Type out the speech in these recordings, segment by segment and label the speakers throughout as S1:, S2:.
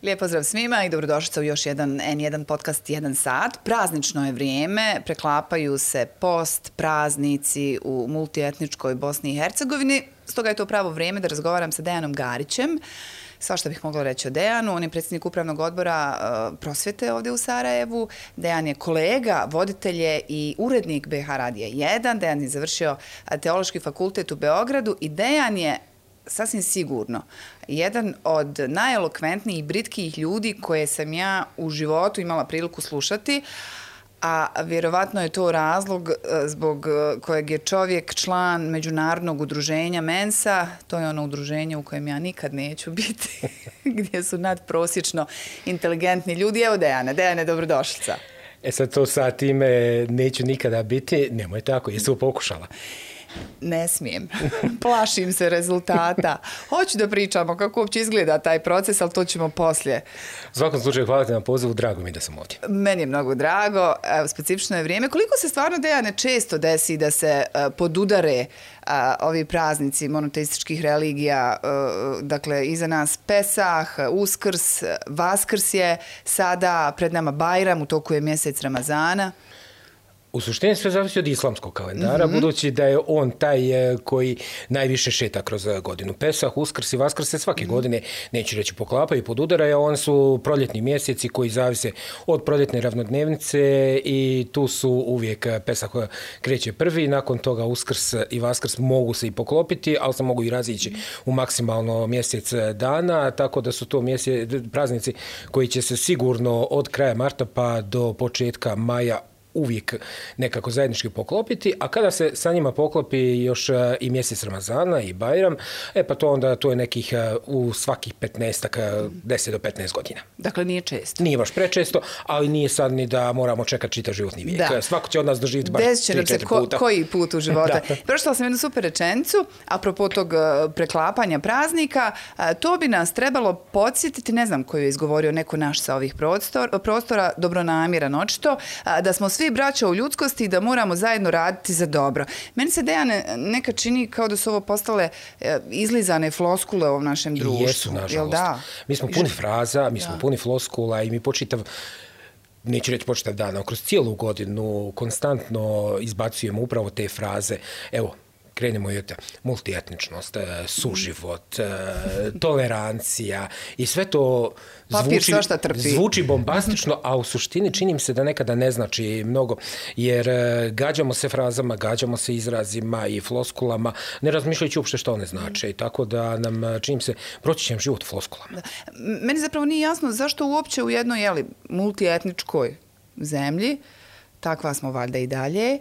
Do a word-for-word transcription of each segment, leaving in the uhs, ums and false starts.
S1: Lijep pozdrav svima i dobrodošlica u još jedan en jedan podcast jedan sat. Praznično je vrijeme, preklapaju se post, praznici u multietničkoj Bosni i Hercegovini. Stoga je to pravo vrijeme da razgovaram sa Dejanom Garićem. Svašta bih mogla reći o Dejanu. On je predsjednik upravnog odbora uh, prosvjete ovdje u Sarajevu. Dejan je kolega, voditelj je i urednik be ha Radija jedan. Dejan je završio Teološki fakultet u Beogradu i Dejan je sasvim sigurno jedan od najelokventnijih i britkijih ljudi koje sam ja u životu imala priliku slušati, a vjerovatno je to razlog zbog kojeg je čovjek član međunarodnog udruženja Mensa. To je ono udruženje u kojem ja nikad neću biti, gdje su nadprosječno inteligentni ljudi. Evo Dejane, Dejane, dobrodošlica.
S2: E sad to sa time neću nikada biti, nemoj tako, jesu pokušala.
S1: Ne smijem. Plašim se rezultata. Hoću da pričamo kako uopće izgleda taj proces, ali to ćemo poslije.
S2: U svakom slučaju, hvala ti na pozivu, drago mi da sam ovdje.
S1: Meni je mnogo drago, evo, specifično je vrijeme. Koliko se stvarno, Dejane, često desi da se uh, podudare uh, ovi praznici monoteističkih religija, uh, dakle, iza nas Pesah, Uskrs, Vaskrs je sada, pred nama Bajram, u toku je mjesec Ramazana.
S2: U suštini sve zavisi od islamskog kalendara, mm-hmm. budući da je on taj koji najviše šeta kroz godinu. Pesah, Uskrs i Vaskrs se svake mm-hmm. godine, neću reći poklapaju i podudaraju, on su proljetni mjeseci koji zavise od proljetne ravnodnevnice i tu su uvijek Pesah kreće prvi, nakon toga Uskrs i Vaskrs mogu se i poklopiti, ali se mogu i razići u maksimalno mjesec dana, tako da su to mjesec, praznici koji će se sigurno od kraja marta pa do početka maja uvijek nekako zajednički poklopiti, a kada se sa njima poklopi još i mjesec Ramazana i Bajram, e pa to onda to je nekih u svakih petnaestak, deset do petnaest godina.
S1: Dakle, nije često.
S2: Nije baš prečesto, ali nije sad ni da moramo čekati čitav životni vijek. Da. Svako će od nas doživjeti baš tri četiri
S1: ko,
S2: puta.
S1: Koji put u života. Prošla sam jednu super rečenicu, apropo tog preklapanja praznika, to bi nas trebalo podsjetiti, ne znam koju je izgovorio neko naš sa ovih prostor, prostora, dobronamjeran očito, da smo svi braća u ljudskosti i da moramo zajedno raditi za dobro. Meni se, Dejane, neka čini kao da su ovo postale e, izlizane floskule u ovom našem društvu.
S2: I jesu, nažalost. Da? Mi smo puni fraza, mi smo da. puni floskula i mi počitav, neću reći počitav dan, kroz cijelu godinu konstantno izbacujemo upravo te fraze. Evo, krenemo i od multietničnost, suživot, tolerancija i sve to zvuči, zvuči bombastično, a u suštini činim se da nekada ne znači mnogo, jer gađamo se frazama, gađamo se izrazima i floskulama, ne razmišljajući uopšte što one znače. I tako da nam, činim se, proći ćem život floskulama.
S1: Da. Meni zapravo nije jasno zašto uopće u jednoj jeli, multietničkoj zemlji, takva smo valjda i dalje,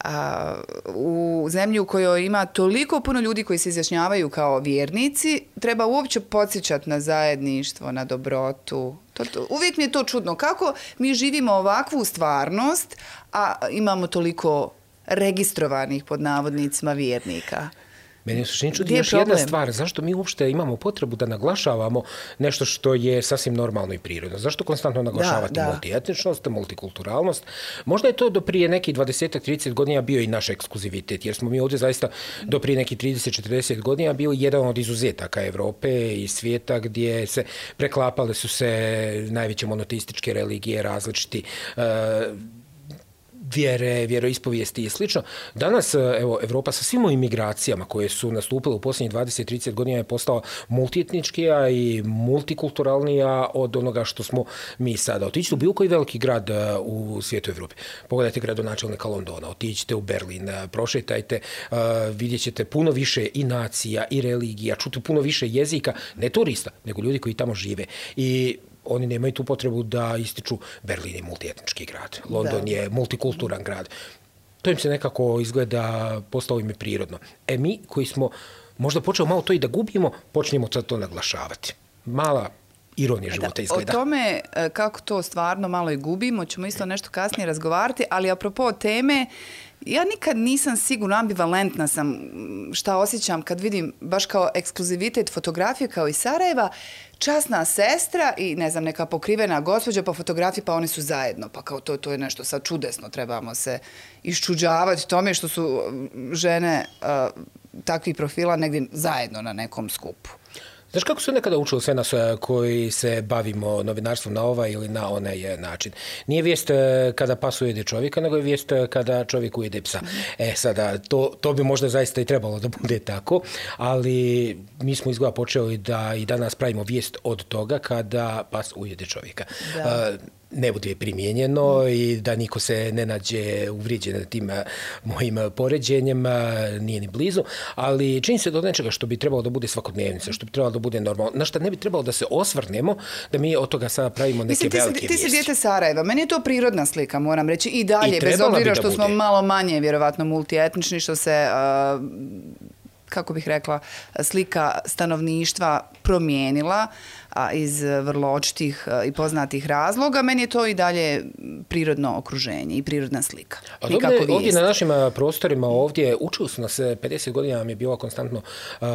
S1: a, u zemlji u kojoj ima toliko puno ljudi koji se izjašnjavaju kao vjernici, treba uopće podsjećati na zajedništvo, na dobrotu. To, to, uvijek mi je to čudno. Kako mi živimo ovakvu stvarnost, a imamo toliko registrovanih pod navodnicima vjernika?
S2: Meni je suštini čudi još jedna stvar, zašto mi uopšte imamo potrebu da naglašavamo nešto što je sasvim normalno i prirodno? Zašto konstantno naglašavati da, da. multietničnost, multikulturalnost? Možda je to do prije nekih dvadeset do trideset godina bio i naš ekskluzivitet, jer smo mi ovdje zaista do prije nekih trideset do četrdeset godina bili jedan od izuzetaka Europe i svijeta gdje se preklapale su se najveće monoteističke religije, različiti uh, vjere, vjeroispovijesti i slično. Danas, evo, Evropa sa svim imigracijama koje su nastupile u posljednjih dvadeset do trideset godina je postala multietničkija i multikulturalnija od onoga što smo mi sada. Otiđite u bilo koji veliki grad u svijetu Evrope. Pogledajte gradonačelnika Londona, otiđite u Berlin, prošetajte, vidjet ćete puno više i nacija i religija, čuti puno više jezika, ne turista, nego ljudi koji tamo žive. I oni nemaju tu potrebu da ističu Berlin je multietnički grad, London da. je multikulturan grad. To im se nekako izgleda, postalo im je prirodno. E mi koji smo možda počeli malo to i da gubimo, počnemo sad to naglašavati. Mala ironija života izgleda.
S1: O tome kako to stvarno malo i gubimo, ćemo isto nešto kasnije razgovarati, ali apropo teme, ja nikad nisam sigurno, ambivalentna sam šta osjećam kad vidim baš kao ekskluzivitet fotografije kao iz Sarajeva, časna sestra i ne znam neka pokrivena gospođa po fotografiji pa oni su zajedno, pa kao to, to je nešto sad čudesno, trebamo se iščuđavati tome što su žene uh, takvih profila negdje zajedno na nekom skupu.
S2: Znaš kako su nekada učili sve nas koji se bavimo novinarstvom na ovaj ili na onaj način? Nije vijest kada pas ujede čovjeka, nego je vijest kada čovjek ujede psa. E sada, to, to bi možda zaista i trebalo da bude tako, ali mi smo izgleda počeli da i danas pravimo vijest od toga kada pas ujede čovjeka. Da. Ne bude primijenjeno i da niko se ne nađe uvrijeđen tim mojim poređenjem, nije ni blizu, ali čini se do nečega što bi trebalo da bude svakodnevnica, što bi trebalo da bude normalno, na što ne bi trebalo da se osvrnemo, da mi od toga sada pravimo neke
S1: Mislim, ti
S2: velike
S1: si,
S2: vijesti.
S1: Ti si dijete Sarajeva, meni je to prirodna slika, moram reći, i dalje, I bez obzira što smo malo manje, vjerovatno, multietnični, što se... Uh, kako bih rekla, slika stanovništva promijenila a, iz vrlo očitih i poznatih razloga. Meni je to i dalje prirodno okruženje i prirodna slika.
S2: A ovdje, ovdje na našim prostorima, ovdje učili su nas pedeset godina, nam je bilo konstantno uh,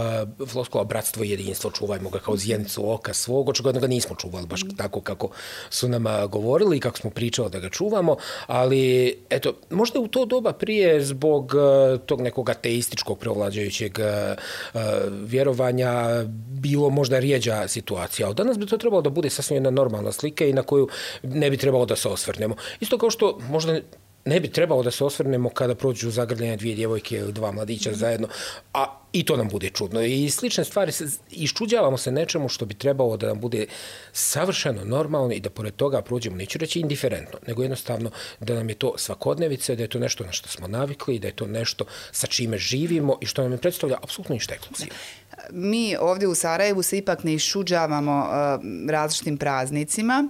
S2: floskula bratstvo i jedinstvo, čuvajmo ga kao zjenicu oka svog, očigledno ga nismo čuvali baš tako kako su nam govorili i kako smo pričali da ga čuvamo, ali eto, možda u to doba prije zbog uh, tog nekog ateističkog prevlađajućeg uh, vjerovanja bilo možda rijeđa situacija. Ali danas bi to trebalo da bude sasvim jedna normalna slika i na koju ne bi trebalo da se osvrnemo. Isto kao što možda ne bi trebalo da se osvrnemo kada prođu zagrljene dvije djevojke ili dva mladića zajedno, a i to nam bude čudno. I slične stvari, se, iščuđavamo se nečemu što bi trebalo da nam bude savršeno normalno i da pored toga prođemo, neću reći indiferentno, nego jednostavno da nam je to svakodnevice, da je to nešto na što smo navikli, da je to nešto sa čime živimo i što nam je predstavlja apsolutno ništa ekskluzivno.
S1: Mi ovdje u Sarajevu se ipak ne iščuđavamo uh, različitim praznicima.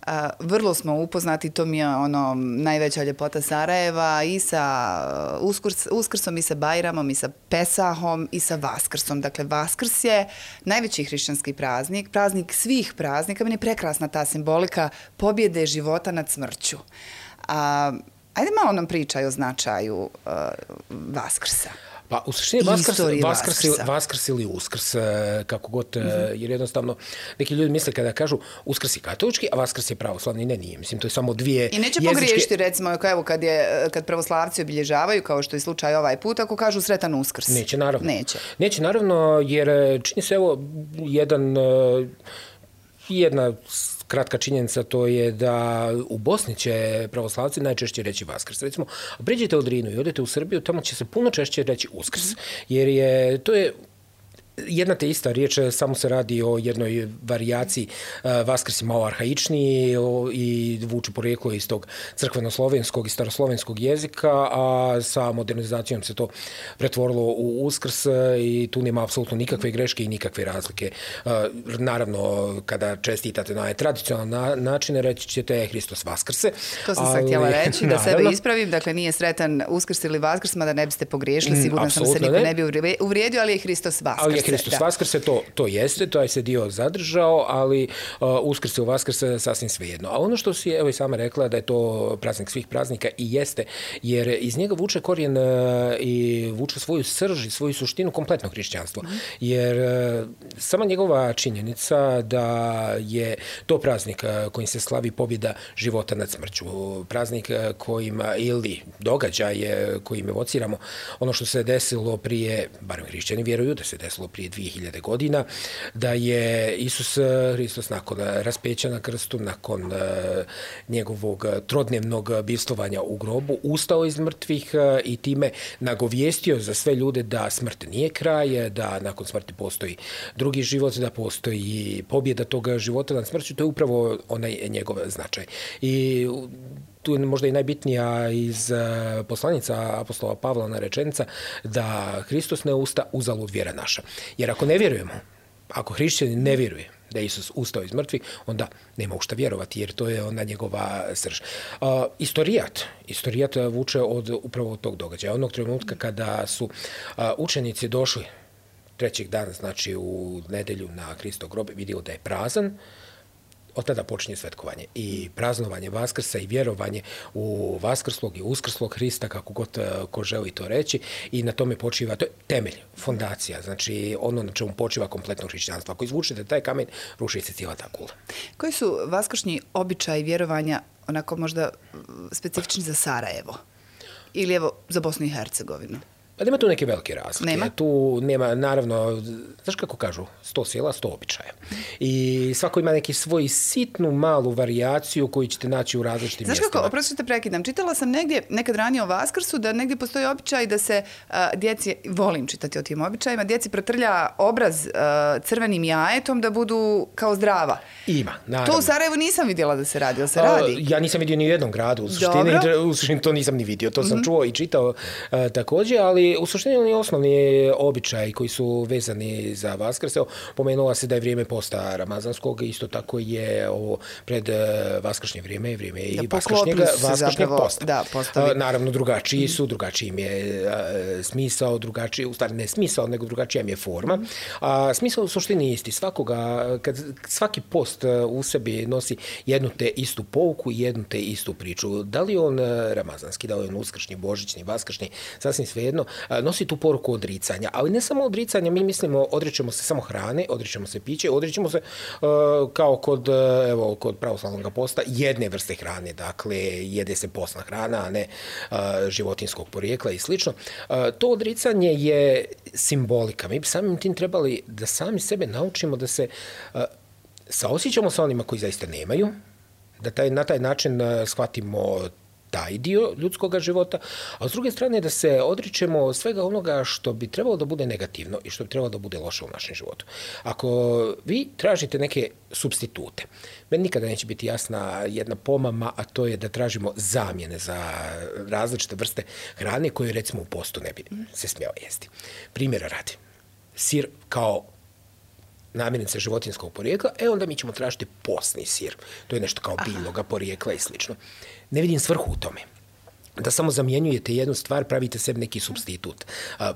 S1: Uh, vrlo smo upoznati, to mi je ono najveća ljepota Sarajeva, i sa uskrs, Uskrsom, i sa Bajramom, i sa Pesahom, i sa Vaskrsom. Dakle, Vaskrs je najveći hrišćanski praznik, praznik svih praznika. Meni je prekrasna ta simbolika pobjede života nad smrću. Uh, ajde malo nam pričaj o značaju uh, Vaskrsa.
S2: Pa u suštini Vaskrs, Vaskrs, Vaskrs ili Uskrs, kako god, mm-hmm. jer jednostavno neki ljudi misle kada kažu Uskrs je katolički, a Vaskrs je pravoslavni. Ne, nije. Mislim, to je samo dvije
S1: I neće
S2: jezičke...
S1: pogriješiti, recimo, evo, kad, je, kad pravoslavci obilježavaju, kao što je slučaj ovaj put, ako kažu sretan Uskrs.
S2: Neće, naravno.
S1: Neće.
S2: Neće, naravno, jer čini se, evo, jedan, jedna kratka činjenica, to je da u Bosni će pravoslavci najčešće reći Vaskrs. Recimo, priđete u Drinu i odete u Srbiju, tamo će se puno češće reći Uskrs. Jer je, to je jedna te ista riječ, samo se radi o jednoj varijaciji. Vaskrs je malo arhaičniji i vuče porijeklo iz tog crkveno-slovenskog i staroslovenskog jezika, a sa modernizacijom se to pretvorilo u Uskrs i tu nema apsolutno nikakve greške i nikakve razlike. Naravno, kada čestitate na tradicionalne načine, reći ćete Hristos Vaskrse.
S1: To sam sad htjela reći, da naravno, sebe ispravim. Dakle, nije sretan Uskrs ili Vaskrs, mada ne biste pogriješili, sigurno sam se niko ne. ne bi uvrijedio, ali je Hristos Vaskrs.
S2: Hristos Vaskrse, to, to jeste, to je se dio zadržao, ali uh, Uskrse u Vaskrse sasvim svejedno. A ono što si, evo i sama rekla, da je to praznik svih praznika i jeste, jer iz njega vuče korijen uh, i vuče svoju srž i svoju suštinu kompletnog hrišćanstva. Mm. Jer uh, sama njegova činjenica da je to praznik uh, kojim se slavi pobjeda života nad smrću. Praznik uh, kojim, ili događaj kojim evociramo ono što se desilo prije, barem hrišćani vjeruju da se desilo prije dvije hiljade godina, da je Isus Hristos nakon raspeća na krstu, nakon uh, njegovog trodnevnog bivstvovanja u grobu, ustao iz mrtvih uh, i time nagovijestio za sve ljude da smrt nije kraj, da nakon smrti postoji drugi život, da postoji pobjeda toga života nad smrću. To je upravo onaj njegov značaj. I tu je možda i najbitnija iz poslanica apostola Pavla na rečenica da Hristos ne usta, uzalud vjera naša. Jer ako ne vjerujemo, ako hrišćani ne vjeruje da je Isus ustao iz mrtvih, onda nema u šta vjerovati, jer to je ona njegova srž. Uh, istorijat, istorijat vuče od upravo od tog događaja. Onog trenutka kada su uh, učenici došli trećeg dana, znači u nedelju na Hristov grob, vidio da je prazan, od tada počinje svetkovanje i praznovanje Vaskrsa i vjerovanje u Vaskrslog i Uskrslog Hrista, kako god ko želi to reći, i na tome počiva, to je temelj, fondacija, znači ono na čemu počiva kompletno hrišćanstvo. Ako izvučete taj kamen, ruši se cijela ta kula.
S1: Koji su vaskršnji običaji vjerovanja onako možda specifični za Sarajevo? Ili evo za Bosnu i Hercegovinu?
S2: Pa nema tu neke velike razlike.
S1: Nema?
S2: Tu nema, naravno, znaš kako kažu, sto sjela, sto običaja. I svako ima neki svoj sitnu malu varijaciju koju ćete naći u različitim
S1: znaš
S2: mjestima.
S1: Znaš kako, oprosti te prekidam, čitala sam negdje, nekad ranije o Vaskrsu, da negdje postoji običaj da se a, djeci, volim čitati o tim običajima, djeci protrlja obraz a, crvenim jajetom da budu kao zdrava.
S2: Ima, naravno.
S1: To u Sarajevu nisam vidjela da se radi, ali se radi?
S2: A, ja nisam vidio ni u jednom gradu, u suštini, u suštini to nisam ni vidio, to sam mm-hmm. čuo i čitao a, također, ali u suštini oni osnovni običaji koji su vezani za Vaskrs. Pomenula se da je vrijeme posta ramazanskog, isto tako je ovo pred vaskršnje vrijeme, vrijeme i vaskršnjeg, vaskršnjeg posta.
S1: Da, postavi.
S2: Naravno, drugačiji su, drugačiji im je smisao, drugačiji, u stvari ne smisao, nego drugačija im je forma. A smisao u suštini isti. Svakoga, kad svaki post u sebi nosi jednu te istu pouku i jednu te istu priču. Da li on ramazanski, da li on uskršnji, božićni, vaskršnji, sasvim svejedno, nosi tu poruku odricanja. Ali ne samo odricanja, mi mislimo, odričemo se samo hrane, odričemo se piće, odričemo se uh, kao kod, evo, kod pravoslavnog posta jedne vrste hrane, dakle jede se postna hrana, a ne uh, životinskog porijekla i slično. Uh, to odricanje je simbolika. Mi bi samim tim trebali da sami sebe naučimo da se uh, saosjećamo sa onima koji zaista nemaju, da taj, na taj način uh, shvatimo taj dio ljudskog života, a s druge strane da se odričemo svega onoga što bi trebalo da bude negativno i što bi trebalo da bude loše u našem životu. Ako vi tražite neke supstitute, meni nikada neće biti jasna jedna pomama, a to je da tražimo zamjene za različite vrste hrane koje recimo u postu ne bi se smjela jesti. Primjera radi, sir kao namirnice životinskog porijekla, e onda mi ćemo tražiti postni sir. To je nešto kao biljnoga porijekla i slično. Ne vidim svrhu u tome. Da samo zamjenjujete jednu stvar, pravite sebi neki supstitut.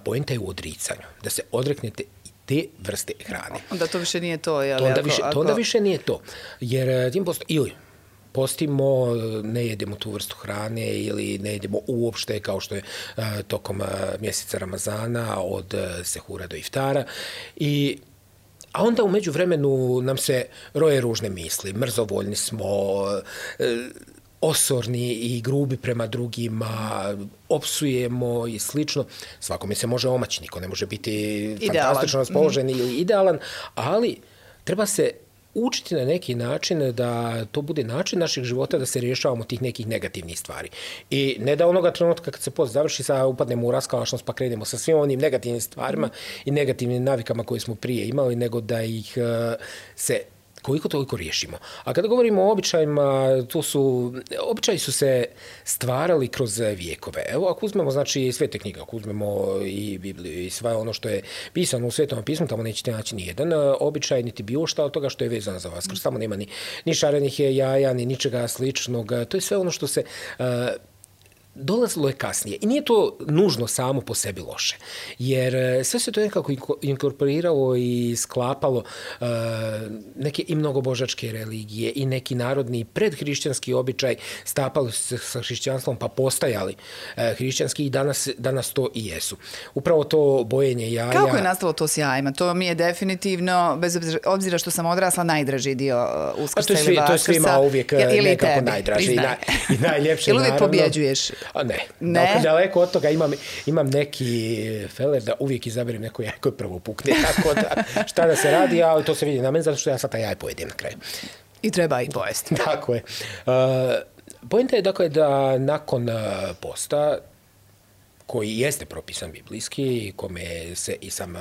S2: Poenta je u odricanju. Da se odreknete te vrste hrane.
S1: Onda to više nije to, jel?
S2: To onda, ako, više, ako... to onda više nije to. Jer tim posto... Ili postimo, ne jedemo tu vrstu hrane ili ne jedemo uopšte kao što je uh, tokom uh, mjeseca Ramazana od uh, sehura do iftara i a onda u međuvremenu nam se roje ružne misli, mrzovoljni smo, osorni i grubi prema drugima, opsujemo i slično. Svakome se može omaći, niko ne može biti idealan. Fantastično raspoložen mm. ili idealan, ali treba se učiti na neki način da to bude način našeg života da se rješavamo tih nekih negativnih stvari. I ne da onoga trenutka kad se post završi, sad upadnemo u raskalašnost pa krenemo sa svim onim negativnim stvarima i negativnim navikama koje smo prije imali, nego da ih uh, se koliko toliko riješimo. A kada govorimo o običajima, tu su, običaji su se stvarali kroz vijekove. Evo, ako uzmemo, znači, svete knjige, ako uzmemo i Bibliju i sve ono što je pisano u Svetom pismu, tamo nećete naći ni jedan običaj, niti bilo šta od toga što je vezano za Vaskrs. Tamo nema ni, ni šarenih jaja, ni ničega sličnog. To je sve ono što se... Uh, dolazilo je kasnije. I nije to nužno samo po sebi loše. Jer sve se to nekako inkorporiralo i sklapalo uh, neke i mnogobožačke religije i neki narodni predhrišćanski običaj stapali se sa hrišćanstvom pa postajali uh, hrišćanski i danas, danas to i jesu. Upravo to bojenje jaja...
S1: Kako je nastalo to s jajima? To mi je definitivno, bez obzira što sam odrasla, najdraži dio Uskrsa ili Vaskrsa.
S2: To je svima uvijek ja, nekako tebi, najdraži i, naj, i najljepše.
S1: Ili uvijek pobjeđuješ?
S2: A ne, ne? Dakle, daleko od toga imam, imam neki feler da uvijek izaberem neko jaje koje prvo pukne, tako da šta da se radi, ali to se vidi na meni, zato što ja sad taj jaj pojedem na kraju.
S1: I treba ih pojesti.
S2: Tako je. Uh, Pojenta je dakle da nakon posta, koji jeste propisan biblijski, kome se i sam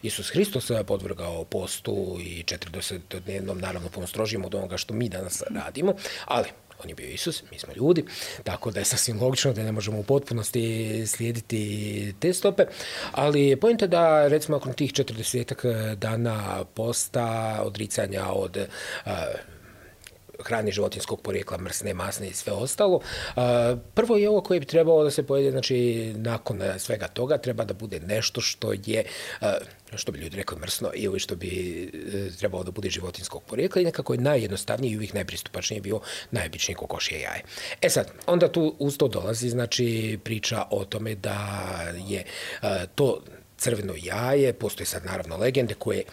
S2: Isus Hristos podvrgao postu i četrdesetodnevnom, naravno puno strožijim od onoga što mi danas radimo, ali on je bio Isus, mi smo ljudi, tako da je sasvim logično da ne možemo u potpunosti slijediti te stope, ali pojenta da recimo nakon tih četrdesetak dana posta, odricanja od uh, hrane životinskog porijekla, mrsne, masne i sve ostalo. Prvo je ovo koje bi trebalo da se pojede, znači nakon svega toga treba da bude nešto što je, što bi ljudi rekli mrsno ili što bi trebalo da bude životinskog porijekla i nekako je najjednostavniji i uvijek najpristupačniji bio najobičniji kokošje jaje. E sad, onda tu uz to dolazi, znači priča o tome da je to crveno jaje, postoje sad naravno legende koje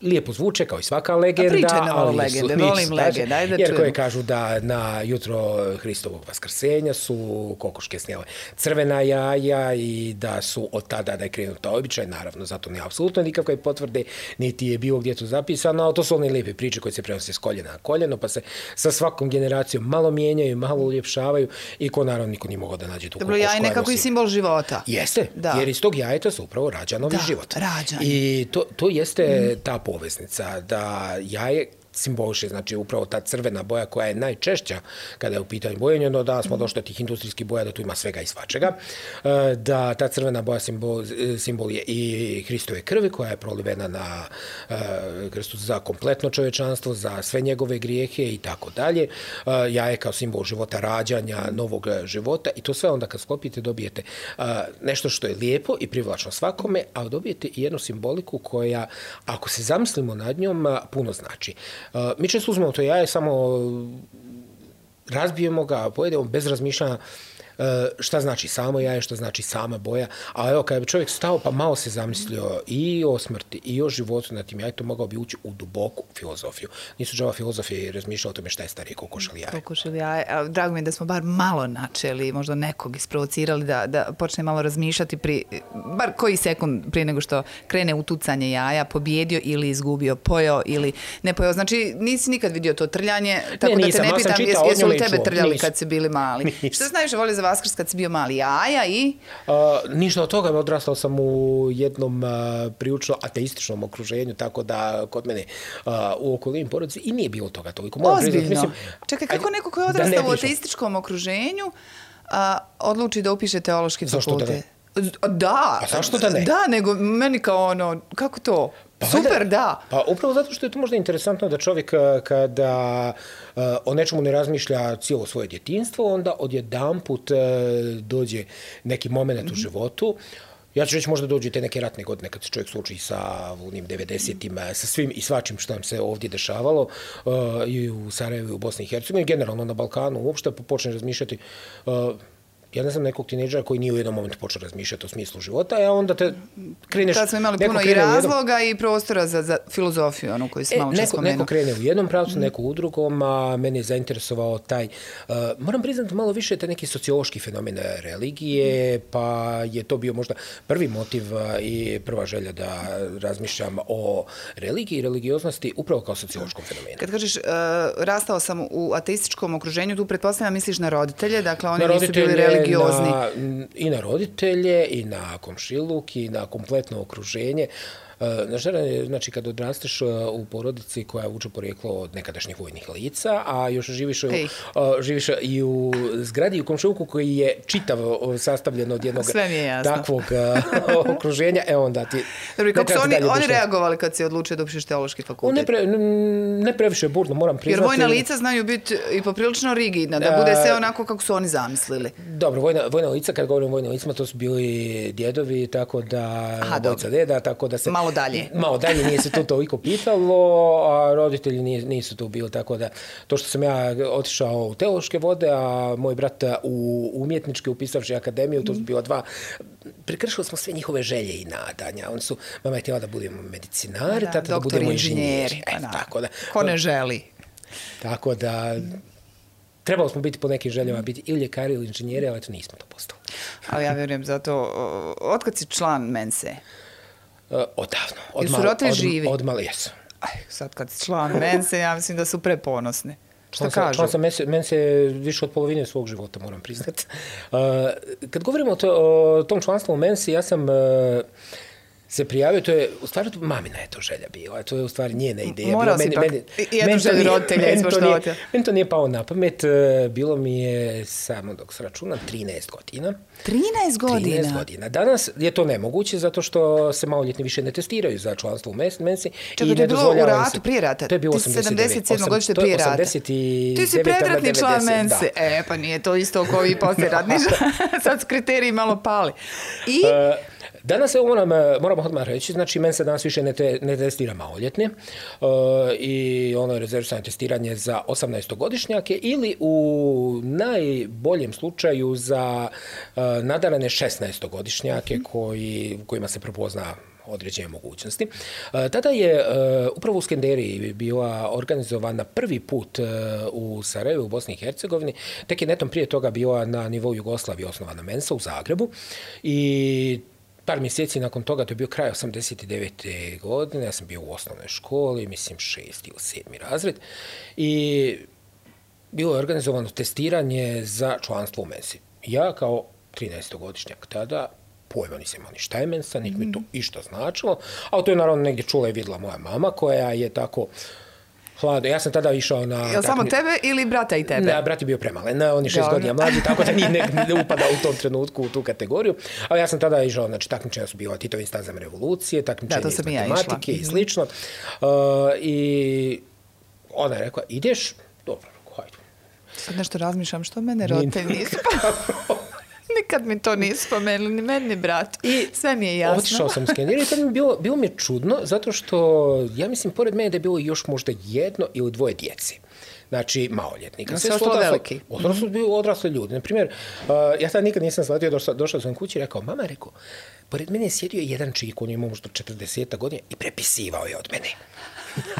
S2: lijepo zvuče kao i svaka legenda.
S1: Pričaj nam o
S2: ali
S1: legende,
S2: su,
S1: volim legende, ajde da
S2: jer
S1: čujemo.
S2: koje kažu da na jutro Hristovog vaskrsenja su kokoške snijele crvena jaja i da su od tada da je krenuta običaj, naravno zato nema apsolutno nikakve potvrde, niti je bilo gdje to zapisano, ali to su one lijepe priče koje se prenose s koljena na koljeno, pa se sa svakom generacijom malo mijenjaju, malo uljepšavaju i ko naravno niko nije mogao da nađe tu kokošku.
S1: Dobro, jaj nekako i simbol života.
S2: Jeste, da. Jer iz tog jajeta se upravo rađa novi
S1: da,
S2: život.
S1: Rađanje.
S2: I to, to jeste mm. ta poveznica, da jaje simboliše, znači upravo ta crvena boja koja je najčešća kada je u pitanju bojenje, no da smo došli do tih industrijskih boja, da tu ima svega i svačega, da ta crvena boja simbol, simbol je i Hristove krvi koja je prolivena na krstu za kompletno čovječanstvo, za sve njegove grijehe i tako dalje. Jaje kao simbol života, rađanja, novog života i to sve onda kad sklopite dobijete nešto što je lijepo i privlačno svakome, ali dobijete i jednu simboliku koja, ako se zamislimo nad njom, puno znači. Uh, mi često uzmemo to jaje, samo razbijemo ga, pojedemo bez razmišljanja uh, šta znači samo jaje, šta znači sama boja, a evo kada bi čovjek stao pa malo se zamislio i o smrti i o životu na tim jajetom, mogao bi ući u duboku filozofiju. Nisu džava filozofije i razmišljao o tome šta je starije kokoš ili jaje.
S1: Kokoš ili jaje. Drago mi je da smo bar malo načeli, možda nekog isprovocirali da, da počne malo razmišljati pri, bar koji sekund prije nego što krene u tucanje jaja, pobjedio ili izgubio, pojeo ili ne pojeo. Znači nisi nikad vidio to trljanje, tako ne, nisam, da te ne pitam jes, jesu li tebe trljali nisam. Kad si bili mali. Nisam. Što se najviše voli za Vaskrs kad si bio mali? Jaja i?
S2: Uh, ništa od toga, odrastao sam u jednom uh, prilično ateističnom okruženju, tako da kod mene uh, u okolini porodici i nije bilo toga toliko.
S1: Ozbiljno? Mislim, čekaj, kako neko koji je odrastao u ateističkom okruženju uh, odluči da upiše teološki fakultet?
S2: Zašto da ne?
S1: Da.
S2: A zašto da ne?
S1: Da, nego meni kao ono, kako to? Pa, super, da.
S2: Pa upravo zato što je to možda interesantno da čovjek kada uh, o nečemu ne razmišlja cijelo svoje djetinjstvo, onda odjedanput uh, dođe neki moment mm-hmm. u životu. Ja ću reći možda dođu te neke ratne godine kad se čovjek sluči sa onim devedesetima, sa svim i svačim što nam se ovdje dešavalo uh, i u Sarajevu i u Bosni i Hercegovini, generalno na Balkanu uopšte, pa počne razmišljati. Uh, Ja ne znam nekog tinejdžera koji nije u jednom momentu počeo razmišljati o smislu života, a onda te kreneš...
S1: Tad smo imali puno i razloga jednom... i prostora za, za filozofiju, ono koju si malo čas spomenuo.
S2: Neko krene u jednom pravcu, mm. neko u drugom, a mene je zainteresovao taj... Uh, moram priznati malo više taj neki sociološki fenomen religije, mm. pa je to bio možda prvi motiv i prva želja da razmišljam o religiji i religioznosti upravo kao sociološkom fenomenu.
S1: Kad kažeš uh, rastao sam u ateističkom okruženju, tu pretpostavljam misliš na roditelje, dakle oni na nisu bili religiozni.
S2: Na, i na roditelje, i na komšiluk, i na kompletno okruženje. Znači, kad odrasteš u porodici koja vuče porijeklo od nekadašnjih vojnih lica, a još živiš, u, živiš i u zgradi i u komšiluku koji je čitav sastavljen od jednog takvog okruženja, e onda ti...
S1: Dobro, kako su oni, oni reagovali kad si odlučio da upišeš teološki fakultet?
S2: Ne, pre, ne previše burno, moram priznati.
S1: Jer vojna lica znaju biti i poprilično rigidna, da bude sve onako kako su oni zamislili.
S2: Dobro, vojna, vojna lica, kad govorim o vojnim licima, to su bili djedovi, tako da... Aha, dojca deda, tako da se...
S1: Malo dalje.
S2: Malo dalje nije se to toliko pitalo, a roditelji nisu tu bili, tako da to što sam ja otišao u teološke vode, a moj brat u umjetničke upisavši akademiju, to su bila dva, prekršili smo sve njihove želje i nadanja. Oni su, mama je htjela da budemo medicinari, da, tata da budemo inženjeri. E, tako da,
S1: ko ne želi?
S2: Tako da... Trebalo smo biti po nekim željama, biti ili ljekari ili inženjeri, ali to nismo to postali.
S1: Ali ja vjerujem zato, otkad si član Mense?
S2: Uh, odavno. Od
S1: Jesu roditelji živi?
S2: Od mali, jesu.
S1: Aj, sad kad si član Mense, ja mislim da su preponosni. Šta
S2: član
S1: kažu?
S2: Član sam Mense više od polovine svog života, moram priznati. Uh, kad govorimo o, to, o tom članstvu u Mensi, ja sam... Uh, se prijavio, to je, u stvari, mamina je to želja bila, to je u stvari njena ideja.
S1: Morao si pak, jednu želju roditelja ispoštovati.
S2: Meni to nije pao na pamet, bilo mi je, samo dok se računam, trinaest godina.
S1: trinaest godina?
S2: trinaest godina. Danas je to nemoguće, zato što se maloljetni više ne testiraju za članstvo u Mensi.
S1: Čekaj, to je bilo u ratu, prije rata?
S2: To je bilo osamdeset devet.
S1: sedamdeset sedam godište prije rata.
S2: osamdeset devet.
S1: Ti si predratni član Mense. E, pa nije to isto kao i posljeratni. Sad su kriteriji malo pali. I... Uh,
S2: Danas, evo moram, moramo odmah reći, znači Mensa danas više ne, te, ne testira maloljetne uh, i ono je rezervisano testiranje za osamnaestogodišnjake ili u najboljem slučaju za uh, nadarane šesnaestogodišnjake koji, kojima se prepozna određene mogućnosti. Tada je upravo u Skenderiji bila organizovana prvi put u Sarajevu, u Bosni i Hercegovini. Tek je netom prije toga bila na nivou Jugoslavije osnovana Mensa u Zagrebu i par mjeseci nakon toga, to je bio kraj osamdeset devete godine, ja sam bio u osnovnoj školi, mislim šesti ili sedmi razred, i bilo je organizovano testiranje za članstvo u Mensi. Ja kao trinaestogodišnjak tada pojma nisam imao ni šta je Mensa, niti mi to išta značilo, ali to je naravno negdje čula i vidjela moja mama koja je tako hladno. Ja sam tada išao na...
S1: Je li samo tebe ili brata i tebe?
S2: Ne, brat je bio premalen. On je šest godina mlađi, tako da nije ne, ne upada u tom trenutku u tu kategoriju. Ali ja sam tada išao, znači takmičenja su bila Titovim stazama revolucije, takmičenja iz matematike ja i slično. Uh, I ona je rekla, ideš? Dobro, hajde.
S1: Sad nešto razmišljam, što mene roditelji nisu nikad mi to nisu spomenuli, ni meni, ni brat. I sve mi je jasno.
S2: Otišao sam u Skenderiju i tad mi bilo, bilo mi je čudno, zato što, ja mislim, pored mene da je bilo još možda jedno ili dvoje djece. Znači, maloljetnika.
S1: Sve su veliki.
S2: Odrasli su bili odrasli ljudi. Naprimjer, uh, ja sad nikad nisam shvatio, došao, došao sam kući i rekao, mama, rekao, pored mene je sjedio jedan čik, on je imao možda četrdeset godina i prepisivao je od mene.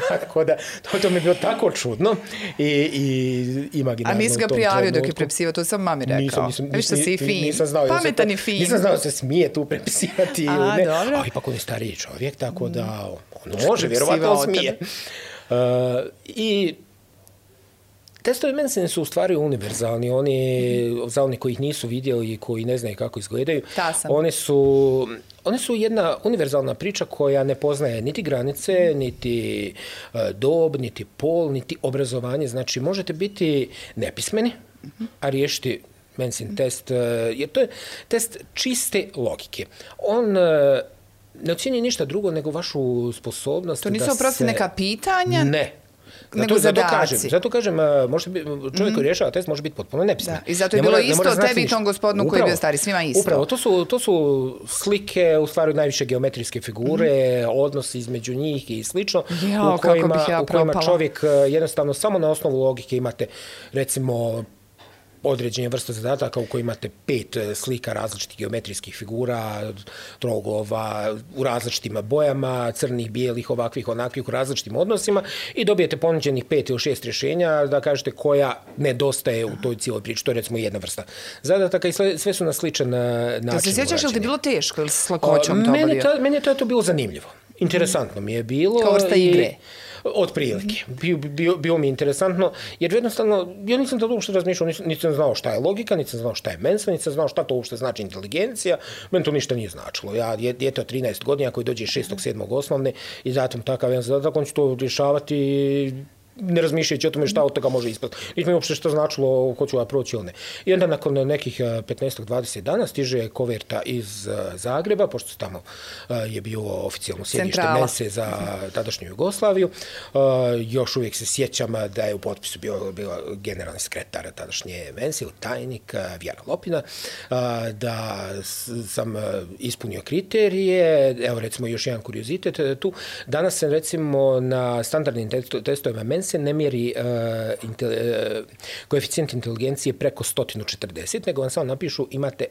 S2: Tako da, to, to mi je bilo tako čudno i, i imaginarno.
S1: A nisi ga prijavio dok je prepisivao, to sam mami rekao. Nisam, nisam, Viš što si i fin.
S2: Nisam znao,
S1: pametan i fin.
S2: Nisam znao da se smije tu prepisivati.
S1: A,
S2: ili ne.
S1: Dobro.
S2: A ipak on je stariji čovjek, tako da on može, vjerovatno smije. Uh, I testovi Mensine su u stvari univerzalni. Oni, za oni koji ih nisu vidjeli i koji ne znaju kako izgledaju, oni su, oni su jedna univerzalna priča koja ne poznaje niti granice, niti uh, dob, niti pol, niti obrazovanje. Znači, možete biti nepismeni, a riješiti Mensin test, uh, jer to je test čiste logike. On uh, ne ocjenjuje ništa drugo nego vašu sposobnost.
S1: To nisu
S2: da
S1: oprosti
S2: se...
S1: neka pitanja?
S2: Ne.
S1: Nego
S2: zato,
S1: zato
S2: kažem, zato kažem, može biti, čovjek koji rješava test može biti potpuno nepismen.
S1: Da. I zato je bilo mora, isto tebi i tom gospodinu koji je bio stari, svima isto.
S2: Upravo, to su, to su slike, u stvari najviše geometrijske figure, mm. odnosi između njih i slično,
S1: Jao,
S2: u kojima,
S1: ja
S2: u kojima čovjek jednostavno samo na osnovu logike imate, recimo, određenje vrste zadataka u kojoj imate pet slika različitih geometrijskih figura, troglova u različitim bojama, crnih, bijelih, ovakvih, onakvih, u različitim odnosima i dobijete ponuđenih pet ili šest rješenja da kažete koja nedostaje u toj cijeloj priči. To je recimo jedna vrsta zadataka i sve, sve su na sličan način.
S1: Da se sjećaš ili ti bilo teško ili s lakoćom to
S2: meni, ta, meni je to, to bilo zanimljivo. Interesantno mi je bilo.
S1: Kao vrsta igre.
S2: I, od prilike. Bio, bio, bio mi interesantno, jer jednostavno, ja nisam to uopšte razmišljao, nisam, nisam znao šta je logika, nisam znao šta je Mensa, nisam znao šta to uopšte znači inteligencija, meni to ništa nije značilo. Ja, djete od trinaest godina koji dođe šestog sedmog osnovne i zatim takav jedan zadatak, on će to rješavati ne razmišljajući o tome šta od toga može ispati. Niti mi uopšte što značilo ko ću ja proći ili ne. I onda nakon nekih petnaest do dvadeset dana stiže koverta iz Zagreba, pošto tamo je bilo oficijalno sjedište Mense za tadašnju Jugoslaviju. Još uvijek se sjećam da je u potpisu bio, bio generalni sekretar tadašnje Mense, tajnik Vjera Lopina, da sam ispunio kriterije. Evo recimo još jedan kuriozitet tu. Danas sam recimo na standardnim testovima Mense se ne mjeri uh, inte, uh, koeficijent inteligencije preko sto četrdeset, nego vam samo napišu imate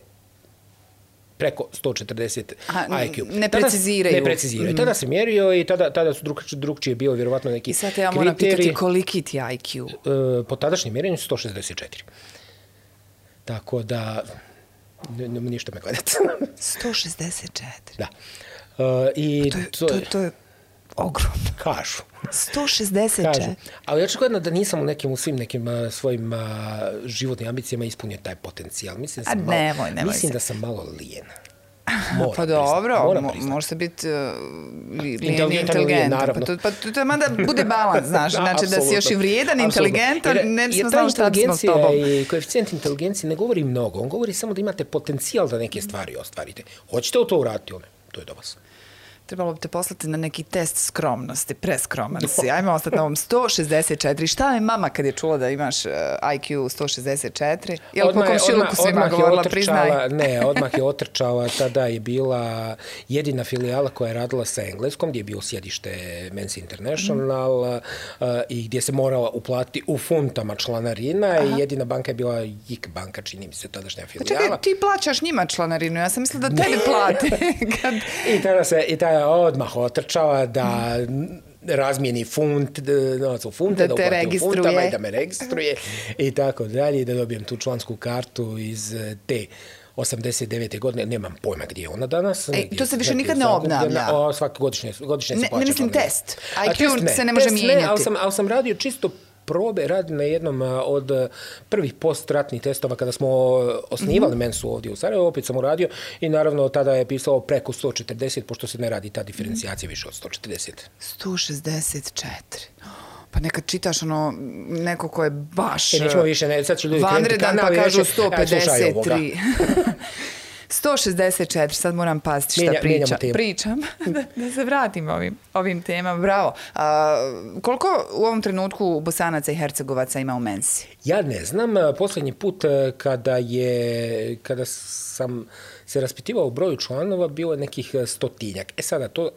S2: preko sto četrdeset
S1: Aha,
S2: I Q.
S1: Ne preciziraju.
S2: Ne preciziraju. Mm. Tada se mjerio i tada, tada su drug, drugčije bio vjerovatno neki kriteriji.
S1: I sad ja moram pitati koliki ti I Q?
S2: Uh, po tadašnjem mjerenju sto šezdeset četiri. Tako da, ne, ne, ništa me gledati.
S1: sto šezdeset četiri?
S2: Da. Uh, i
S1: to, je, to, je, to je ogromno.
S2: Kažu.
S1: sto šezdeset četiri.
S2: Kažu. Ali očigledno da nisam u nekim, u svim nekim uh, svojim uh, životnim ambicijama ispunio taj potencijal. Mislim da sam,
S1: A nemoj,
S2: malo,
S1: nemoj
S2: mislim
S1: se.
S2: da sam malo lijen.
S1: Moram pa dobro, može se biti uh, lijen i inteligentan. Pa to, pa to, to mada bude balans, znaš. Znači da si još i vrijedan, inteligentan, ne bismo znali šta smo s tobom.
S2: I koeficijent inteligencije ne govori mnogo. On govori samo da imate potencijal da neke stvari ostvarite. Hoćete li to uraditi? One? To je do vas.
S1: Trebalo bi te poslati na neki test skromnosti, preskroman si. Ajmo ostati na ovom sto šezdeset četiri. Šta je mama kad je čula da imaš uh, I Q sto šezdeset četiri? Je li po komšiluku svima govorila, priznaj?
S2: Ne, odmah je otrčala. Tada je bila jedina filijala koja je radila sa engleskom, gdje je bio sjedište Mensa International mm. uh, i gdje se morala uplatiti u funtama članarina. Aha. I jedina banka je bila J I K banka, čini mi se, tadašnja filijala.
S1: Čekaj, ti plaćaš njima članarinu, ja sam mislila da tebi plate. Kad...
S2: I tada se, i tada je odmah otrčala da razmijeni funt, novac u funte, da,
S1: da te registruje.
S2: Funtama i da me registruje i tako dalje, i da dobijem tu člansku kartu iz te osamdeset devete godine, nemam pojma gdje je ona danas.
S1: E, to se više nikad ne obnavlja.
S2: O, svaki godišnje, godišnje se
S1: ne,
S2: plaća.
S1: Ne mislim
S2: planira.
S1: test. I Q
S2: test
S1: se ne može
S2: test
S1: mijenjati.
S2: Ne, ali sam, ali sam radio čisto probe, radim na jednom od prvih postratnih testova kada smo osnivali mm-hmm. Mensu ovdje u Sarajevu, opet sam uradio i naravno tada je pisalo preko sto četrdeset, pošto se ne radi ta diferencijacija više od sto četrdeset.
S1: sto šezdeset četiri. Pa nekad čitaš ono, neko ko je baš...
S2: E, nećemo više, ne, sad će ljudi krenuti kanal.
S1: Vanredan pa kažu
S2: reći,
S1: sto pedeset tri. sto šezdeset četiri, sad moram paziti šta
S2: Mijenja,
S1: pričam. Pričam, da, da se vratim ovim, ovim temama. Bravo. A, koliko u ovom trenutku Bosanaca i Hercegovaca ima u Mensi?
S2: Ja ne znam. Posljednji put kada, je, kada sam se raspitivao u broju članova, bilo je nekih stotinjak. E sada, to...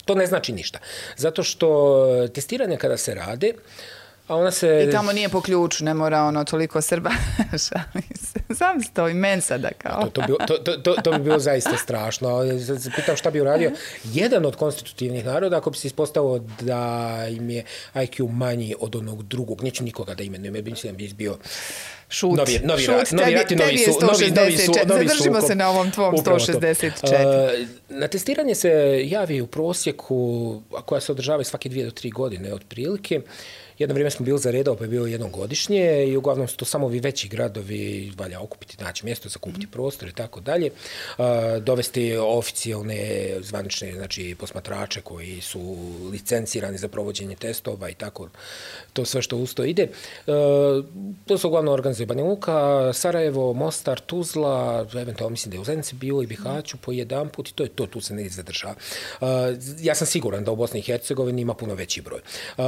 S2: To ne znači ništa. Zato što testiranje kada se rade, a ona se...
S1: I tamo nije po ključu, ne mora ono toliko Srba. Sam stoji Mensa da kao.
S2: To, to, to, to, to, to bi bilo zaista strašno. Pitam šta bi uradio jedan od konstitutivnih naroda ako bi se ispostavilo da im je I Q manji od onog drugog. Neću nikoga da imenujem, jer bi mislim da bi izbio...
S1: Šut,
S2: novi, novi,
S1: šut,
S2: rat, novi rat i novi, su, novi, novi, su, novi
S1: Zadržimo
S2: sukob.
S1: se na ovom tvom sto šezdeset četiri.
S2: Uh, na testiranje se javi u prosjeku, a koja se održava svake dvije do tri godine otprilike. Jedno vrijeme smo bili za redao, pa je bilo jednom godišnje i uglavnom su to samo ovi veći gradovi, valja okupiti, naći mjesto, zakupiti mm. prostor i tako dalje. Uh, dovesti oficijalne zvanične, znači posmatrače koji su licencirani za provođenje testova i tako, to sve što uz to ide. Uh, to su uglavnom organizacije Banja Luka, Sarajevo, Mostar, Tuzla, eventualno mislim da je u Zenici bilo i Bihaću po jedan put i to je to, tu se ne zadržava. Uh, ja sam siguran da u Bosni i Hercegovini ima puno veći broj. Uh,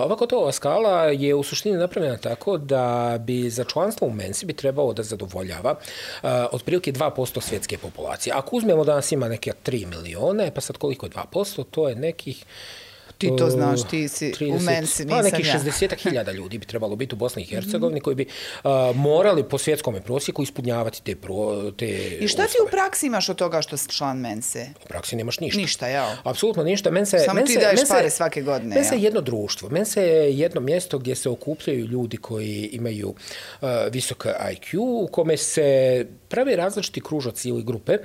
S2: ovako to skala je u suštini napravljena tako da bi za članstvo u Mensi bi trebalo da zadovoljava uh, otprilike dva posto svjetske populacije. Ako uzmemo da nas ima neke tri milione, pa sad koliko je dva posto, to je nekih
S1: Ti to znaš, ti si trideset, u Mensi, nisam ja.
S2: Pa nekih šezdeset hiljada ljudi bi trebalo biti u Bosni i Hercegovini, mm-hmm. koji bi uh, morali po svjetskom prosjeku ispunjavati te, pro, te
S1: I šta
S2: uslove.
S1: ti u praksi imaš od toga što si član Mense?
S2: U praksi nemaš ništa.
S1: Ništa, jel?
S2: Apsolutno ništa. Mense,
S1: Samo
S2: Mense,
S1: ti daješ
S2: Mense,
S1: pare svake godine,
S2: Mense je jedno društvo. Mense je jedno mjesto gdje se okupljaju ljudi koji imaju uh, visok I Q, u kome se prave različiti kružoci ili grupe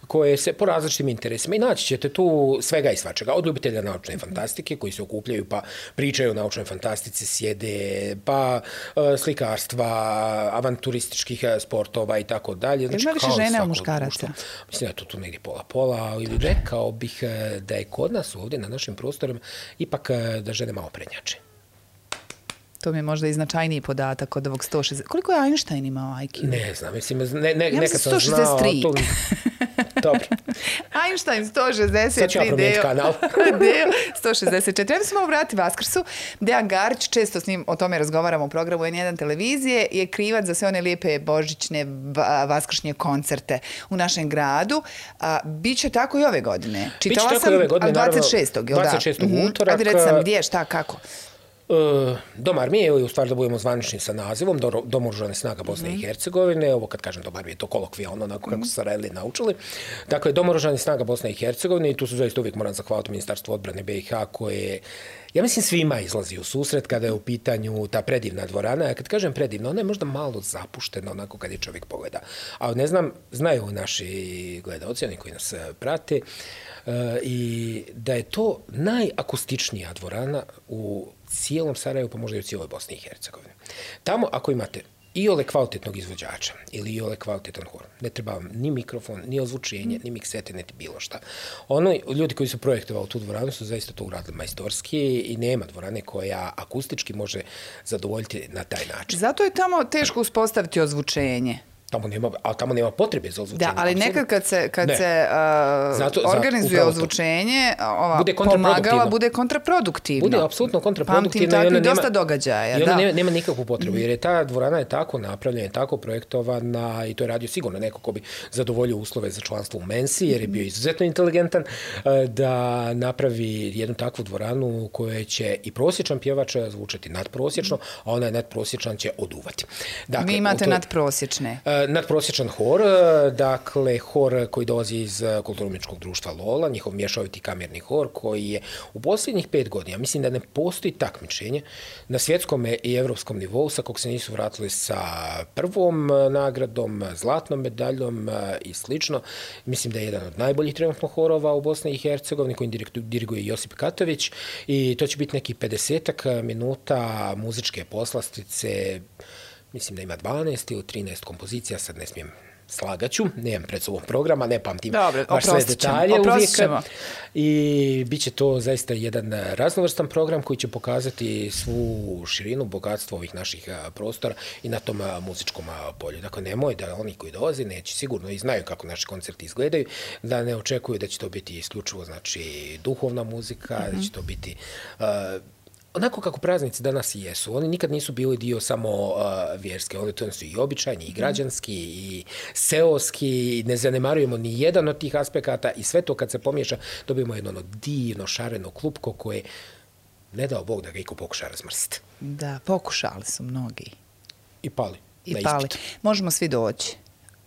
S2: koje se po različitim interesima i naći ćete tu svega i svačega. Od ljubitelja naučne fantastike koji se okupljaju pa pričaju o naučnoj fantastici, sjede, pa uh, slikarstva, avanturističkih sportova i tako dalje.
S1: Znači, ima više žena u muškaraca?
S2: Mislim da je to tu negdje pola-pola, ali rekao bih da je kod nas ovdje na našim prostorima ipak da žene malo prednjače.
S1: To mi je možda i značajniji podatak od ovog sto šezdeset. Koliko je Einstein imao I Q?
S2: Ne znam, mislim, ne, ne,
S1: ja
S2: nekad sam znao... To... Dobro.
S1: Einstein sto šezdeset tri.
S2: Sad ću ja promijeniti kanal.
S1: Deo sto šezdeset četiri. Ja bi se malo vratiti Vaskrsu. Dejan Garić, često s njim o tome razgovaramo u programu N jedan televizije, je krivac za sve one lijepe božićne vaskršnje koncerte u našem gradu. A, biće tako i ove godine. Čitala
S2: Biće
S1: sam,
S2: ove godine,
S1: dvadeset šestog
S2: dvadeset šestog
S1: Da?
S2: utorak.
S1: Ajde reći sam gdje, šta, kako?
S2: Uh, Dom armije, ili u stvari da budemo zvanični sa nazivom, Dom oružanih snaga Bosne mm. i Hercegovine, ovo kad kažem Dom armije, to kolokvijalno, onako kako su Sarajeli naučili. Dakle, Dom oružanih snaga Bosne i Hercegovine, i tu su zaista uvijek moram zahvaliti Ministarstvo odbrane B i H koje, ja mislim, svima izlazi u susret kada je u pitanju ta predivna dvorana. A kad kažem predivna, ona je možda malo zapuštena, onako kad je čovjek pogleda. Ali ne znam, znaju naši gledaoci, oni koji nas prate, uh, i da je to najakustičnija dvorana u cijelom Sarajevu, pa možda i u cijeloj Bosni i Hercegovini. Tamo, ako imate i ole kvalitetnog izvođača ili i ole kvalitetan hor, ne treba vam ni mikrofon, ni ozvučenje, ni miksete, niti bilo šta. Ono, ljudi koji su projektovali tu dvoranu su zaista to uradili majstorski i nema dvorane koja akustički može zadovoljiti na taj način.
S1: Zato je tamo teško uspostaviti ozvučenje.
S2: Tamo nema, ali tamo nema potrebe za ozvučenje.
S1: Da, ali
S2: absolutno.
S1: Nekad kad se, kad se uh, zato, organizuje zato, ozvučenje, ova
S2: bude
S1: pomagala bude kontraproduktivno.
S2: Bude apsolutno kontraproduktivno.
S1: Pamtim takvih dosta događaja.
S2: I onda
S1: da.
S2: nema, nema nikakvu potrebu, jer je ta dvorana je tako napravljena, tako projektovana i to je radio sigurno neko ko bi zadovoljio uslove za članstvo u Mensi, jer je bio izuzetno inteligentan, da napravi jednu takvu dvoranu u kojoj će i prosječan pjevač zvučati nadprosječno, a onaj nadprosječan će oduvati.
S1: Dakle, vi imate to, nadprosječne.
S2: nadprosječan hor, dakle hor koji dolazi iz kulturno-umjetničkog društva Lola, njihov mješoviti kamerni hor koji je u posljednjih pet godina, mislim da ne postoji takmičenje na svjetskom i evropskom nivou sa kog se nisu vratili sa prvom nagradom, zlatnom medaljom i slično. Mislim da je jedan od najboljih trenutno horova u Bosni i Hercegovini koji diriguje Josip Katović i to će biti neki pedesetak minuta muzičke poslastice. Mislim da ima dvanaest ili trinaest kompozicija, sad ne smijem slagaću, nemam pred sobom programa, ne pamtim
S1: Dobre,
S2: baš sve detalje uvijek.
S1: Ćemo.
S2: I bit će to zaista jedan raznovrstan program koji će pokazati svu širinu, bogatstvo ovih naših prostora i na tom muzičkom polju. Dakle, nemoj da oni koji dolaze neće sigurno i znaju kako naši koncerti izgledaju, da ne očekuju da će to biti isključivo znači duhovna muzika, mm-hmm. da će to biti uh, onako kako praznici danas i jesu. Oni nikad nisu bili dio samo uh, vjerske. Oni to su i običajni, i građanski, i seoski. Ne zanemarujemo ni jedan od tih aspekata i sve to kad se pomiješa dobijemo jedno ono divno, šareno klupko koje ne dao Bog da ga iko pokuša razmrsiti.
S1: Da, pokušali su mnogi.
S2: I pali.
S1: I pali. Možemo svi doći.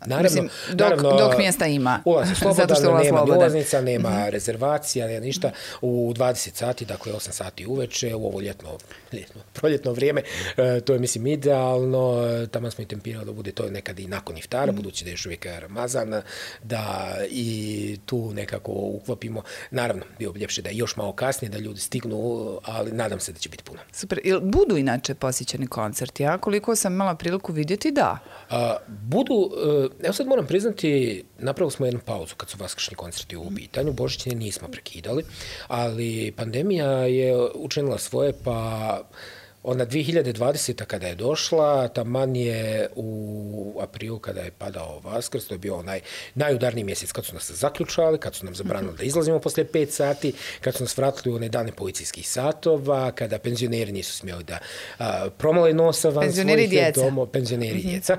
S2: Naravno,
S1: Mislim, dok,
S2: naravno,
S1: dok mjesta ima.
S2: Ulaz je slobodan, nema
S1: slobodan.
S2: ulaznica, nema mm-hmm. rezervacija, nema ništa. U dvadeset sati, dakle osam sati uveče, u ovo ljetno, ljetno proljetno vrijeme, e, to je mislim idealno. Tamo smo i tempirali da bude to nekad i nakon iftara, mm-hmm. budući da je još uvijek Ramazan, da i tu nekako uklopimo. Naravno, bio bi ljepše da je još malo kasnije, da ljudi stignu, ali nadam se da će biti puno.
S1: Super. Ili budu inače posjećeni koncerti? Ja koliko sam imala priliku vidjeti, da.
S2: A, budu... E, Evo sad moram priznati, napravili smo jednu pauzu kad su vaskršnji koncerti u pitanju, božićne nismo prekidali, ali pandemija je učinila svoje, pa ona dvije hiljade dvadeseta kada je došla, taman je u aprilu kada je padao Vaskrs, to je bio onaj najudarniji mjesec kad su nas zaključali, kad su nam zabranili da izlazimo poslije pet sati, kad su nas vratili u one dane policijskih satova, kada penzioneri nisu smjeli da a, promale nosa van svojih doma. Penzioneri mm-hmm. djeca.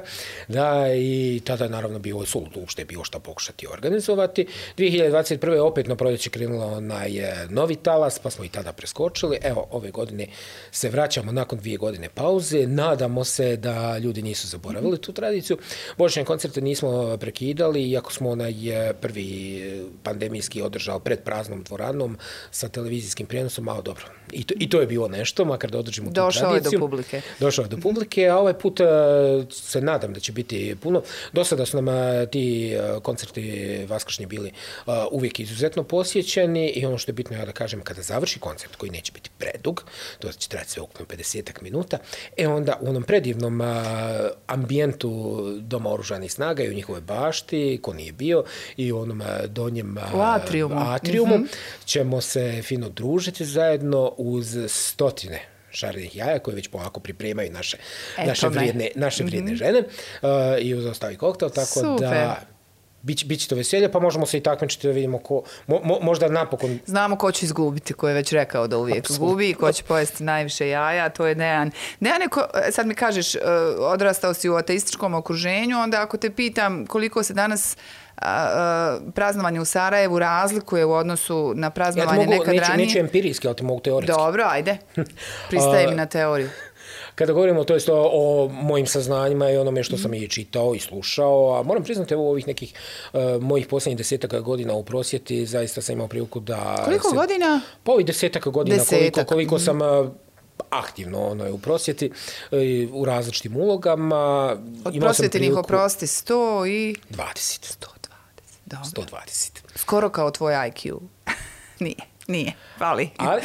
S2: Da, i tada naravno bilo suludo uopšte bilo šta pokušati organizovati. dvije hiljade dvadeset prve opet na proljeće krenulo onaj novi talas, pa smo i tada preskočili. Evo, ove godine se vraćamo nakon dvije godine pauze. Nadamo se da ljudi nisu zaboravili tu tradiciju. Božićne koncerte nismo prekidali, iako smo onaj prvi pandemijski održali pred praznom dvoranom sa televizijskim prijenosom, malo dobro. I to, i to je bilo nešto, makar da održimo tu
S1: Došao
S2: tradiciju.
S1: Došao je do publike.
S2: Došao je do publike, a ovaj put se nadam da će biti puno. Do sada su nam ti koncerti vaskršnji bili uvijek izuzetno posjećeni i ono što je bitno ja da kažem, kada završi koncert koji neće biti predug, to će trajati sve ukupno pedeset minuta, e onda u onom predivnom a, ambijentu Doma oružanih snaga i u njihove bašti, ko nije bio, i u onom a, donjem a,
S1: u atriumu,
S2: atriumu
S1: mm-hmm. ćemo
S2: se fino družiti zajedno uz stotine šarenih jaja koje već polako pripremaju naše, naše vrijedne, naše vrijedne mm-hmm. žene uh, i uz ostali koktel, tako Super. Da Bić, biće to veselje, pa možemo se i takmičiti da vidimo ko, mo, mo, možda napokon...
S1: Znamo ko će izgubiti, ko je već rekao da uvijek Absolutno. Gubi i ko će pojesti najviše jaja, to je Dejan. Dejan je, ko, sad mi kažeš, odrastao si u ateističkom okruženju, onda ako te pitam koliko se danas a, a, praznovanje u Sarajevu razlikuje u odnosu na praznovanje ja mogu, nekad
S2: neću,
S1: ranije...
S2: Neću empirijski, ali ti mogu teoretski.
S1: Dobro, ajde, pristaje mi na teoriju.
S2: Kada govorimo to jest o, o mojim saznanjima i onome što sam i čitao i slušao, a moram priznati evo ovih nekih uh, mojih posljednjih desetaka godina u prosvjeti, zaista sam imao priliku da...
S1: Koliko
S2: se,
S1: godina?
S2: Pa ovih desetaka godina,
S1: Desetak.
S2: koliko, koliko sam uh, aktivno ono, u prosvjeti, uh, u različitim ulogama.
S1: Od prosvjetinih oprosti sto i...
S2: dvadeset.
S1: sto dvadeset, dobro.
S2: sto dvadeset.
S1: Skoro kao tvoj I Q. nije, nije, hvali.
S2: Ali...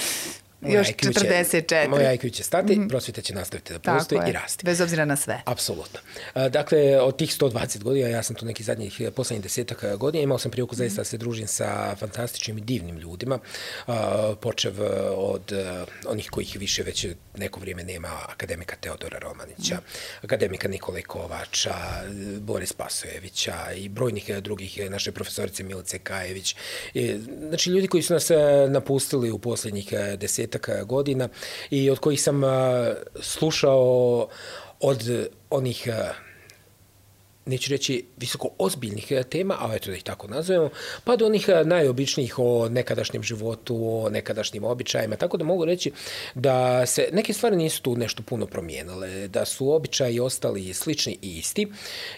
S1: Još četrdeset četiri.
S2: Moj I Q će stati, mm-hmm. prosvjeta će nastaviti da postoji i rasti.
S1: Bez obzira na sve.
S2: Apsolutno. Dakle, od tih sto dvadeset godina, ja sam tu nekih zadnjih posljednjih desetak godina, imao sam priliku zaista da se družim sa fantastičnim i divnim ljudima, počev od onih kojih više već neko vrijeme nema, akademika Teodora Romanića, mm. akademika Nikole Kovača, Boris Pasojevića i brojnih drugih, naše profesorice Milice Kajević. Znači, ljudi koji su nas napustili u posljednjih deset godina i od kojih sam slušao od onih neću reći visoko ozbiljnih tema, a eto da ih tako nazovemo, pa do onih najobičnijih o nekadašnjem životu, o nekadašnjim običajima, tako da mogu reći da se neke stvari nisu tu nešto puno promijenile, da su običaji ostali slični i isti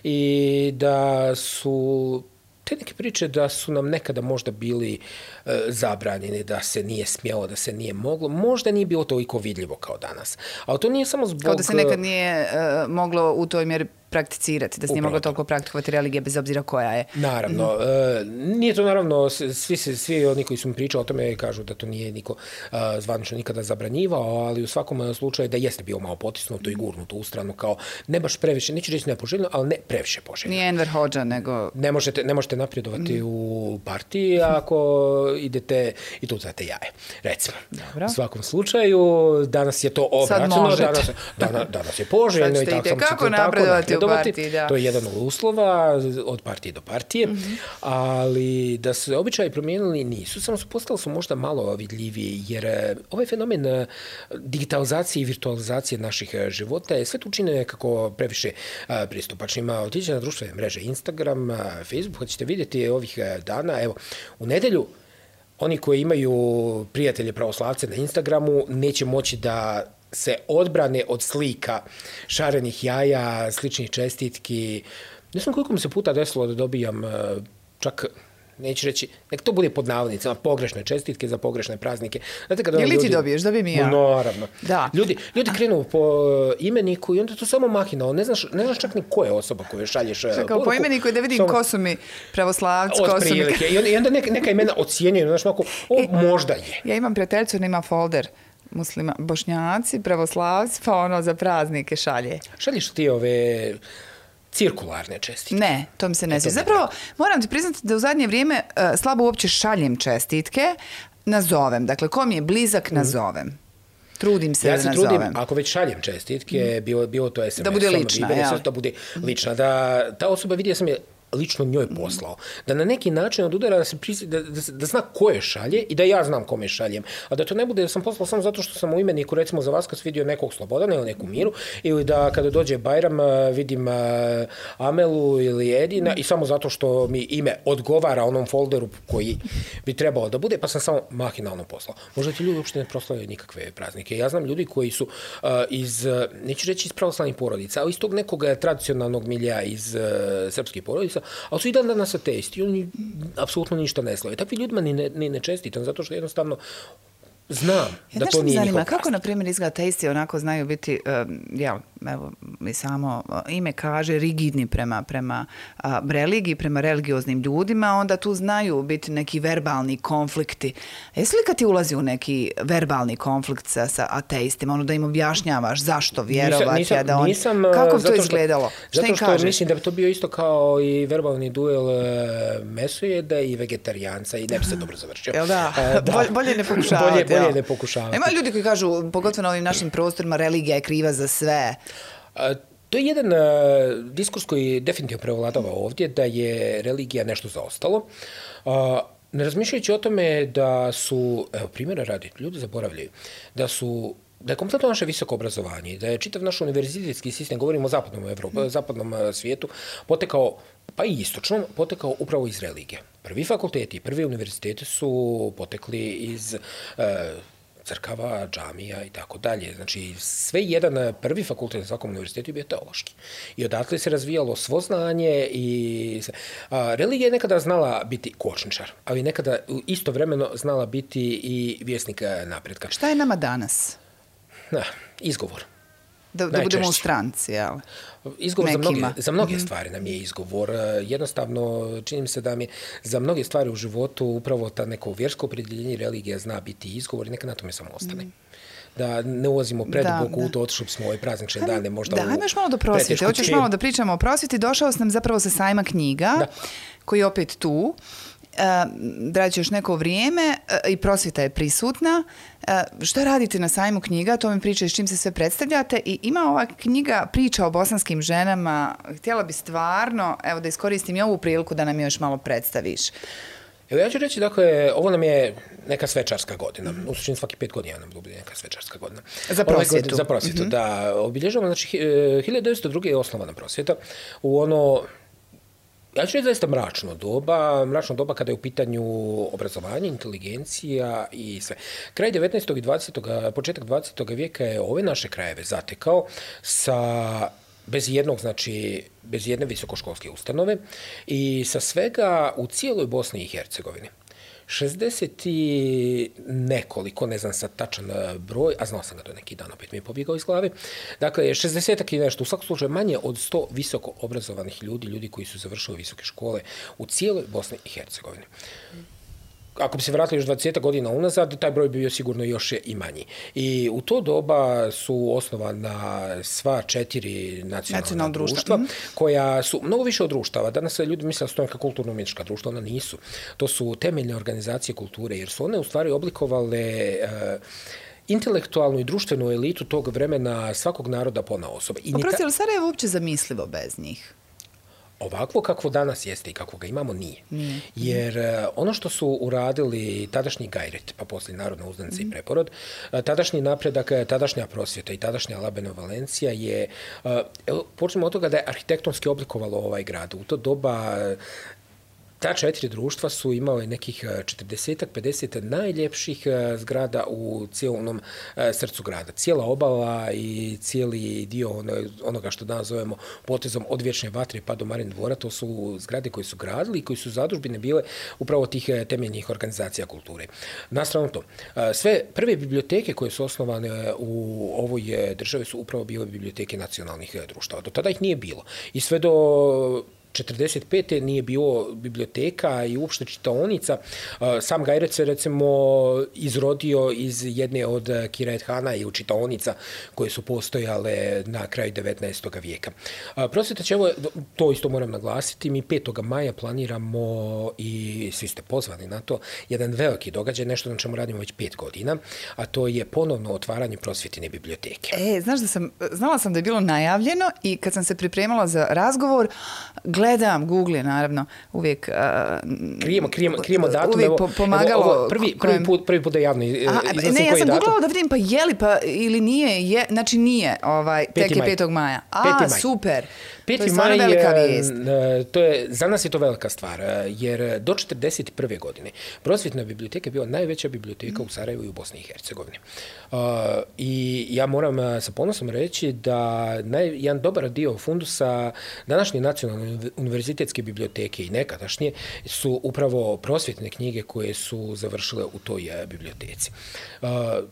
S2: i da su te neke priče da su nam nekada možda bili e, zabranjeni, da se nije smjelo, da se nije moglo, možda nije bilo toliko vidljivo kao danas. Ali to nije samo zbog...
S1: Kao da se nekad nije uh, moglo u toj mjeri prakticirati, da se nije moglo toliko praktikovati religija bez obzira koja je.
S2: Naravno. Mm-hmm. E, nije to naravno, svi, svi oni koji su mi pričali o tome kažu da to nije niko uh, zvanično nikada zabranjivao, ali u svakom slučaju da jeste bio malo potisnuto i gurnuto u stranu kao ne baš previše, neću reći nepoželjno, ali ne previše poželjno.
S1: Nije Enver Hodža, nego...
S2: Ne možete, ne možete napredovati mm. u partiji ako idete i tu znate jaje, recimo.
S1: Dobro.
S2: U svakom slučaju, danas je to obraćeno, danas, danas, danas je poželjno i tako sam
S1: kako napredovati u partiji, da.
S2: To je jedan od uslova od partije do partije, mm-hmm. ali da su običaji promijenili nisu, samo su postali su možda malo vidljiviji, jer ovaj fenomen digitalizacije i virtualizacije naših života je sve to učine kako previše pristupačnima. Otiđe na društvene mreže Instagram, Facebook, ćete vidjeti ovih dana, evo, u nedelju oni koji imaju prijatelje pravoslavce na Instagramu neće moći da se odbrane od slika šarenih jaja, sličnih čestitki. Ne znam koliko mi se puta desilo da dobijam čak, neću reći, nek to bude pod navodnicama, pogrešne čestitke za pogrešne praznike. Znate, kada
S1: Ili ljudi, ti dobiješ, dobijem i ja.
S2: Naravno.
S1: Da.
S2: Ljudi, ljudi krenu po imeniku i onda to samo mahinao. Ne znaš, ne znaš čak ni ko je osoba koju šalješ poruku.
S1: Kao po imeniku i da vidim samo... ko su mi pravoslavci, ko su mi...
S2: I onda, i onda neka, neka imena ocijenjuju, znaš, mako, o, e, možda je.
S1: Ja imam prijateljicu, ona ima folder muslima, bošnjaci, pravoslavci, pa ono za praznike šalje.
S2: Šalješ ti ove cirkularne čestitke?
S1: Ne, to mi se ne sviđa. Zapravo, moram ti priznati da u zadnje vrijeme uh, slabo uopće šaljem čestitke, nazovem. Dakle, ko mi je blizak, nazovem. Trudim se
S2: ja
S1: da
S2: se
S1: nazovem.
S2: Trudim, ako već šaljem čestitke, bilo, bilo to es em es.
S1: Da bude lična, ja.
S2: Da bude lična. Da ta osoba vidi da sam je lično njoj poslao. Da na neki način odudara da, se prisi, da, da, da zna ko je šalje i da ja znam kome šaljem. A da to ne bude da sam poslao samo zato što sam u imeniku, recimo za Vaskrs vidio nekog Slobodana ili neku Miru, ili da kada dođe Bajram vidim Amelu ili Edina i samo zato što mi ime odgovara onom folderu koji bi trebalo da bude, pa sam samo mahinalno poslao. Možda ti ljudi uopšte ne proslavljaju nikakve praznike. Ja znam ljudi koji su uh, iz, neću reći iz pravoslavnih porodica, ali iz tog nekog tradicionalnog milija iz uh, srpskih porodica, ali su i dan danas ateisti i oni apsolutno ništa ne slave. Takvi ljudima ni ne, ni ne čestitam, zato što jednostavno znam ja, da to nije njihov praznik.
S1: Kako, na primjer, izgleda ateisti onako znaju biti, um, jel, evo, mi samo ime kaže, rigidni prema, prema a, religiji, prema religioznim ljudima, onda tu znaju biti neki verbalni konflikti. Jesi li kad ti ulazi u neki verbalni konflikt sa, sa ateistima, ono da im objašnjavaš zašto vjerovati,
S2: nisam,
S1: a da on...
S2: Nisam,
S1: kako bi to
S2: što,
S1: izgledalo?
S2: Šta im kažeš? Zato što mislim da bi to bio isto kao i verbalni duel e, mesojeda i vegetarijanca i ne bi se dobro završio.
S1: Jel da?
S2: E, da.
S1: Bolje, bolje ne pokušavati.
S2: bolje, bolje ne pokušavati.
S1: Ima ljudi koji kažu, pogotovo na ovim našim prostorima, religija je kriva za sve.
S2: A, to je jedan uh, diskurs koji definitivno prevladava ovdje, da je religija nešto zaostalo. Uh, ne razmišljajući o tome da su, evo primjera radi, ljudi zaboravljaju, da su da je kompletno naše visoko obrazovanje, da je čitav naš univerzitetski sistem, govorimo o zapadnom Evropu, mm. zapadnom svijetu, potekao, pa i istočnom, potekao upravo iz religije. Prvi fakulteti, prvi univerziteti su potekli iz uh, crkava, džamija i tako dalje. Znači, sve jedan prvi fakultet na svakom univerzitetu je bio teološki. I odatle se razvijalo svo znanje i a, religija je nekada znala biti kočničar, ali nekada istovremeno znala biti i vjesnik napretka.
S1: Šta je nama danas?
S2: Na, izgovor.
S1: Da, da budemo u stranci, jel?
S2: Izgovor za mnoge, za mnoge stvari nam je izgovor. Jednostavno, čini mi se da mi za mnoge stvari u životu upravo ta neko vjersko opredjeljenje religija zna biti izgovor i neka na tome samo ostane. Mm. Da ne ulazimo preduboko u to, otišli smo ove praznične dane možda
S1: da,
S2: u...
S1: Da, još malo do prosvjete. Hoćeš malo da pričamo o prosvjeti. Došao sam zapravo sa sajma knjiga, da. Koji je opet tu. Draći još neko vrijeme i prosvjeta je prisutna. Što radite na sajmu knjiga? To mi priča s čim se sve predstavljate. I ima ova knjiga priča o bosanskim ženama. Htjela bi stvarno, evo da iskoristim i ovu priliku da nam još malo predstaviš.
S2: Evo ja ću reći, dakle, ovo nam je neka svečarska godina. U suštini svaki pet godina nam bude neka svečarska godina.
S1: Za prosvjetu.
S2: Ovaj, za prosvjetu, mm-hmm. da. Obilježavamo, znači, hiljadu devetsto druge je osnovana prosvjeta u ono, ja ću reći zaista mračno doba, mračno doba kada je u pitanju obrazovanje, inteligencija i sve. Kraj devetnaestog i dvadesetog početak dvadesetog vijeka je ove naše krajeve zatekao sa bez jednog, znači, bez jedne visokoškolske ustanove i sa svega u cijeloj Bosni i Hercegovini. šezdeset i nekoliko, ne znam sad tačan broj, a znao sam ga do neki dan, opet mi je pobjegao iz glave. Dakle, šezdesetak i nešto, u svakom slučaju manje od sto visoko obrazovanih ljudi, ljudi koji su završili visoke škole u cijeloj Bosni i Hercegovini. Ako bi se vratili još dvadeset godina unazad, taj broj bi bio sigurno još i manji. I u to doba su osnovana sva četiri nacionalna Nacional društva, mm. koja su mnogo više od društava. Danas ljudi misle da su to neka kulturno-umjetnička društva, ona nisu. To su temeljne organizacije kulture, jer su one u stvari oblikovale uh, intelektualnu i društvenu elitu tog vremena svakog naroda ponaosob.
S1: Oprosti, ali Sarajevo uopće zamislivo bez njih?
S2: Ovakvo kakvo danas jeste i kakvo ga imamo nije. nije. Jer uh, ono što su uradili tadašnji Gajret, pa poslije Narodna uzdanica mm. i Preporod, uh, tadašnji napredak, tadašnja prosvjeta i tadašnja Labeno Valencija je, uh, počnemo od toga da je arhitektonski oblikovalo ovaj grad. U to doba uh, ta četiri društva su imale nekih četrdeset do pedeset najljepših zgrada u cijelom srcu grada. Cijela obala i cijeli dio onoga što danas zovemo potezom od Vječne vatre pa do Marin dvora, to su zgrade koje su gradili i koji su zadužbine bile upravo tih temeljnih organizacija kulture. Nastrano to, sve prve biblioteke koje su osnovane u ovoj državi su upravo bile biblioteke nacionalnih društava. Do tada ih nije bilo. I sve do četrdeset pete nije bilo biblioteka i uopšte čitaonica. Sam Gajret se recimo izrodio iz jedne od Kiraethana i čitaonica koje su postojale na kraju devetnaestog vijeka. Prosvjeta će, evo, to isto moram naglasiti, mi petog maja planiramo i svi ste pozvani na to, jedan veliki događaj, nešto na čemu radimo već pet godina, a to je ponovno otvaranje prosvjetine biblioteke.
S1: E, znaš da sam, znala sam da je bilo najavljeno i kad sam se pripremala za razgovor, gledam, Google je naravno uvijek uh,
S2: krijemo, krijemo, krijemo datum,
S1: uvijek
S2: evo,
S1: pomagalo.
S2: Evo, ovo prvi, prvi, put, prvi put da javno iznosim.
S1: Ne, ja sam
S2: datum.
S1: googlala da vidim pa je li pa ili nije, je, znači nije, ovaj, tek je petog maja. A, super.
S2: Peti
S1: to je stvarno velika vijest.
S2: To je, za nas je to velika stvar, jer do četrdeset prve godine prosvjetna biblioteka je bila najveća biblioteka u Sarajevu i u Bosni i Hercegovini. Uh, I ja moram sa ponosom reći da naj, jedan dobar dio fundusa današnje nacionalne univerzitetske biblioteke i nekadašnje su upravo prosvjetne knjige koje su završile u toj biblioteci. Uh,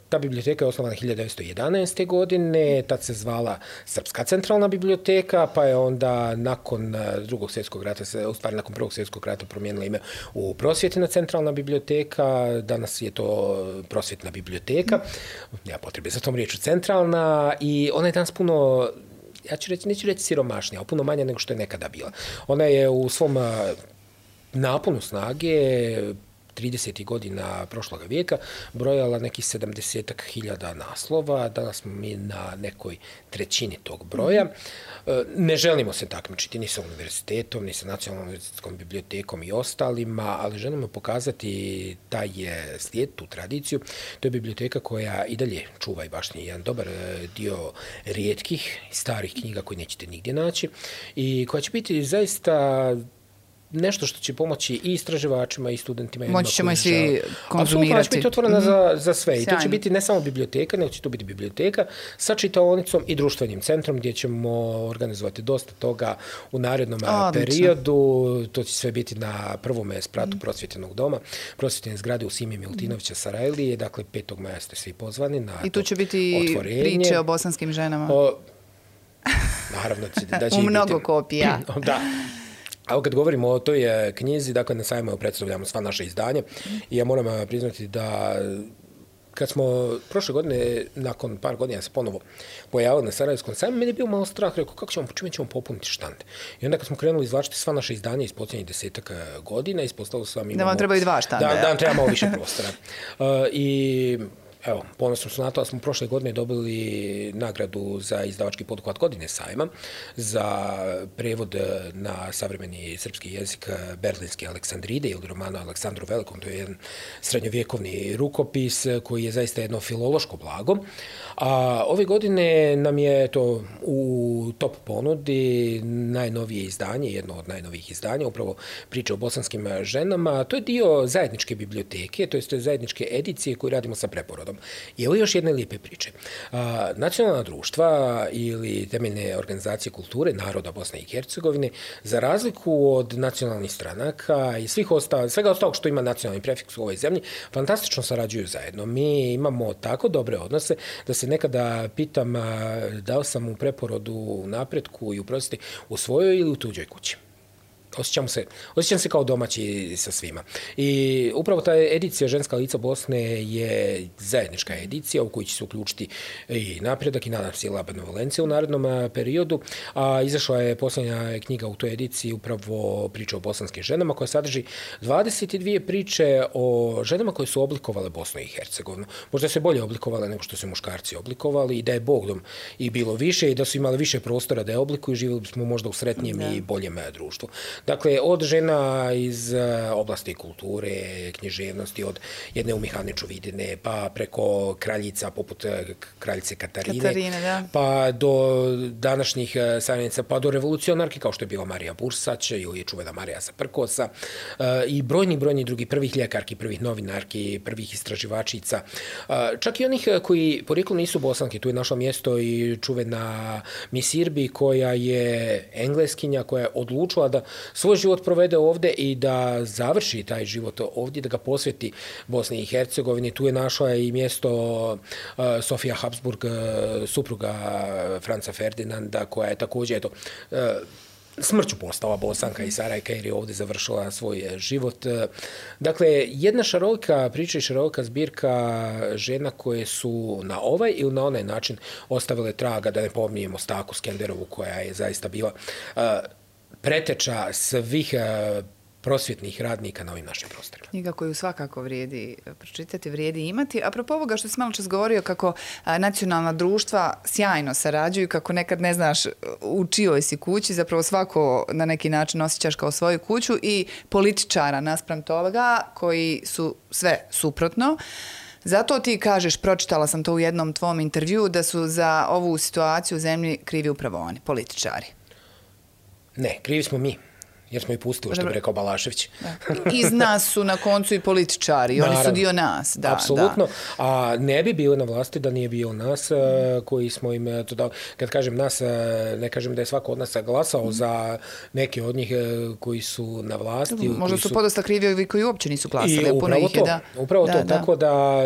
S2: ta biblioteka je osnovana hiljadu devetsto jedanaeste. godine, tad se zvala Srpska centralna biblioteka, pa je onda nakon drugog svjetskog rata, u stvari nakon prvog svjetskog rata promijenila ime u Prosvjetna centralna biblioteka, danas je to Prosvjetna biblioteka, nema potrebe za tom riječu centralna, i ona je danas puno, ja ću reći, neću reći siromašnija, ali puno manja nego što je nekada bila. Ona je u svom naponu snage tridesetih godina prošloga vijeka brojala nekih sedamdeset hiljada naslova, danas smo mi na nekoj trećini tog broja. Ne želimo se takmičiti ni sa univerzitetom, ni sa nacionalnom univerzitetskom bibliotekom i ostalima, ali želimo pokazati taj slijed, tu tradiciju. To je biblioteka koja i dalje čuva i baštini jedan dobar dio rijetkih starih knjiga koje nećete nigdje naći i koja će biti zaista nešto što će pomoći i istraživačima i studentima.
S1: Moći ćemo i svi konzumirati.
S2: Apsolutno će biti otvorena mm-hmm. za, za sve. I to će biti ne samo biblioteka, nego će to biti biblioteka sa čitaonicom i društvenim centrom gdje ćemo organizovati dosta toga u narednom Odlično. periodu. To će sve biti na prvom spratu mm. prosvjetenog doma, prosvjetene zgrade u Simi Milutinovića Sarajlije. Dakle, petog maja ste svi pozvani na
S1: I tu će biti otvorenje. Priče o bosanskim ženama.
S2: O, naravno da će
S1: u mnogo
S2: biti,
S1: kopija.
S2: Da. A kad govorimo o toj knjizi, dakle na sajmu predstavljamo sva naše izdanje i ja moram priznati da kad smo prošle godine, nakon par godina se ponovo pojavili na Sarajevskom sajmu, meni je bio malo strah, rekao kako ćemo, čime ćemo popuniti štand. I onda kad smo krenuli izvlačiti sva naše izdanja iz posljednjih desetak godina, ispostavilo se vam imamo...
S1: Da vam trebaju dva štanda.
S2: Da, da vam treba malo više prostora. Uh, I Evo, ponosno su na to da smo prošle godine dobili nagradu za izdavački poduhvat godine sajma, za prevod na savremeni srpski jezik Berlinske Aleksandride ili romana Aleksandru Velikom. To je jedan srednjovjekovni rukopis koji je zaista jedno filološko blago. A ove godine nam je to u top ponudi najnovije izdanje, jedno od najnovijih izdanja, upravo priče o bosanskim ženama. To je dio zajedničke biblioteke, to je zajedničke edicije koju radimo sa Preporodom. I evo još jedne lijepe priče. A, nacionalna društva ili temeljne organizacije kulture naroda Bosne i Hercegovine, za razliku od nacionalnih stranaka i svih ostalo, svega ostalog što ima nacionalni prefiks u ovoj zemlji, fantastično sarađuju zajedno. Mi imamo tako dobre odnose da se nekada pitam da li sam u Preporodu u napretku i u prosvjeti u svojoj ili u tuđoj kući. Osjećam se, osjećam se kao domaći sa svima. I upravo ta edicija Ženska lica Bosne je zajednička edicija u kojoj će se uključiti i napredak i nadam se i Laba Benevolencija u narednom periodu. A izašla je posljednja knjiga u toj ediciji upravo priča o bosanskim ženama koja sadrži dvadeset dvije priče o ženama koje su oblikovale Bosnu i Hercegovinu. Možda se bolje oblikovale nego što su muškarci oblikovali i da je Bogdom i bilo više i da su imali više prostora da je oblikuju, živjeli bismo možda u sretnijem da. i boljem društvu. Dakle, od žena iz oblasti kulture, književnosti, od jedne Umihane Čuvidine, pa preko kraljica poput kraljice Katarine,
S1: Katarine da.
S2: pa do današnjih savjenica, pa do revolucionarki kao što je bila Marija Bursać ili čuvena Marija Saprkosa i brojni, brojni drugi prvih ljekarki, prvih novinarki, prvih istraživačica. Čak i onih koji porijeklo nisu Bosanke, tu je našlo mjesto i čuvena Miss Irby koja je engleskinja, koja je odlučila da svoj život provede ovdje i da završi taj život ovdje, da ga posveti Bosni i Hercegovini. Tu je našla i mjesto uh, Sofija Habsburg, uh, supruga Franca Ferdinanda, koja je također eto, uh, smrću postala Bosanka i Sarajka jer je ovdje završila svoj život. Dakle, jedna šarolika priča i šarolika zbirka žena koje su na ovaj ili na onaj način ostavile traga, da ne pominjemo Staku Skenderovu koja je zaista bila uh, preteča svih prosvjetnih radnika na ovim našim prostorima.
S1: Knjiga koju svakako vrijedi pročitati, vrijedi imati. Apropo ovoga što si malo čas govorio kako nacionalna društva sjajno sarađuju, kako nekad ne znaš u čijoj si kući, zapravo svako na neki način osjećaš kao svoju kuću i političara naspram toga koji su sve suprotno. Zato ti kažeš, pročitala sam to u jednom tvom intervjuu, da su za ovu situaciju u zemlji krivi upravo oni, političari.
S2: Ne, krivi smo mi, jer smo i pustili, što bi rekao Balašević.
S1: Da. Iz nas su na koncu i političari, oni su dio nas. Da,
S2: apsolutno,
S1: da.
S2: A ne bi bili na vlasti da nije bio nas koji smo im to dali. Kad kažem nas, ne kažem da je svako od nas glasao mm. za neke od njih koji su na vlasti.
S1: Možda su, su podosta krivi ovi koji uopće nisu glasali.
S2: I upravo to, da, upravo
S1: da,
S2: to.
S1: Da.
S2: Tako da...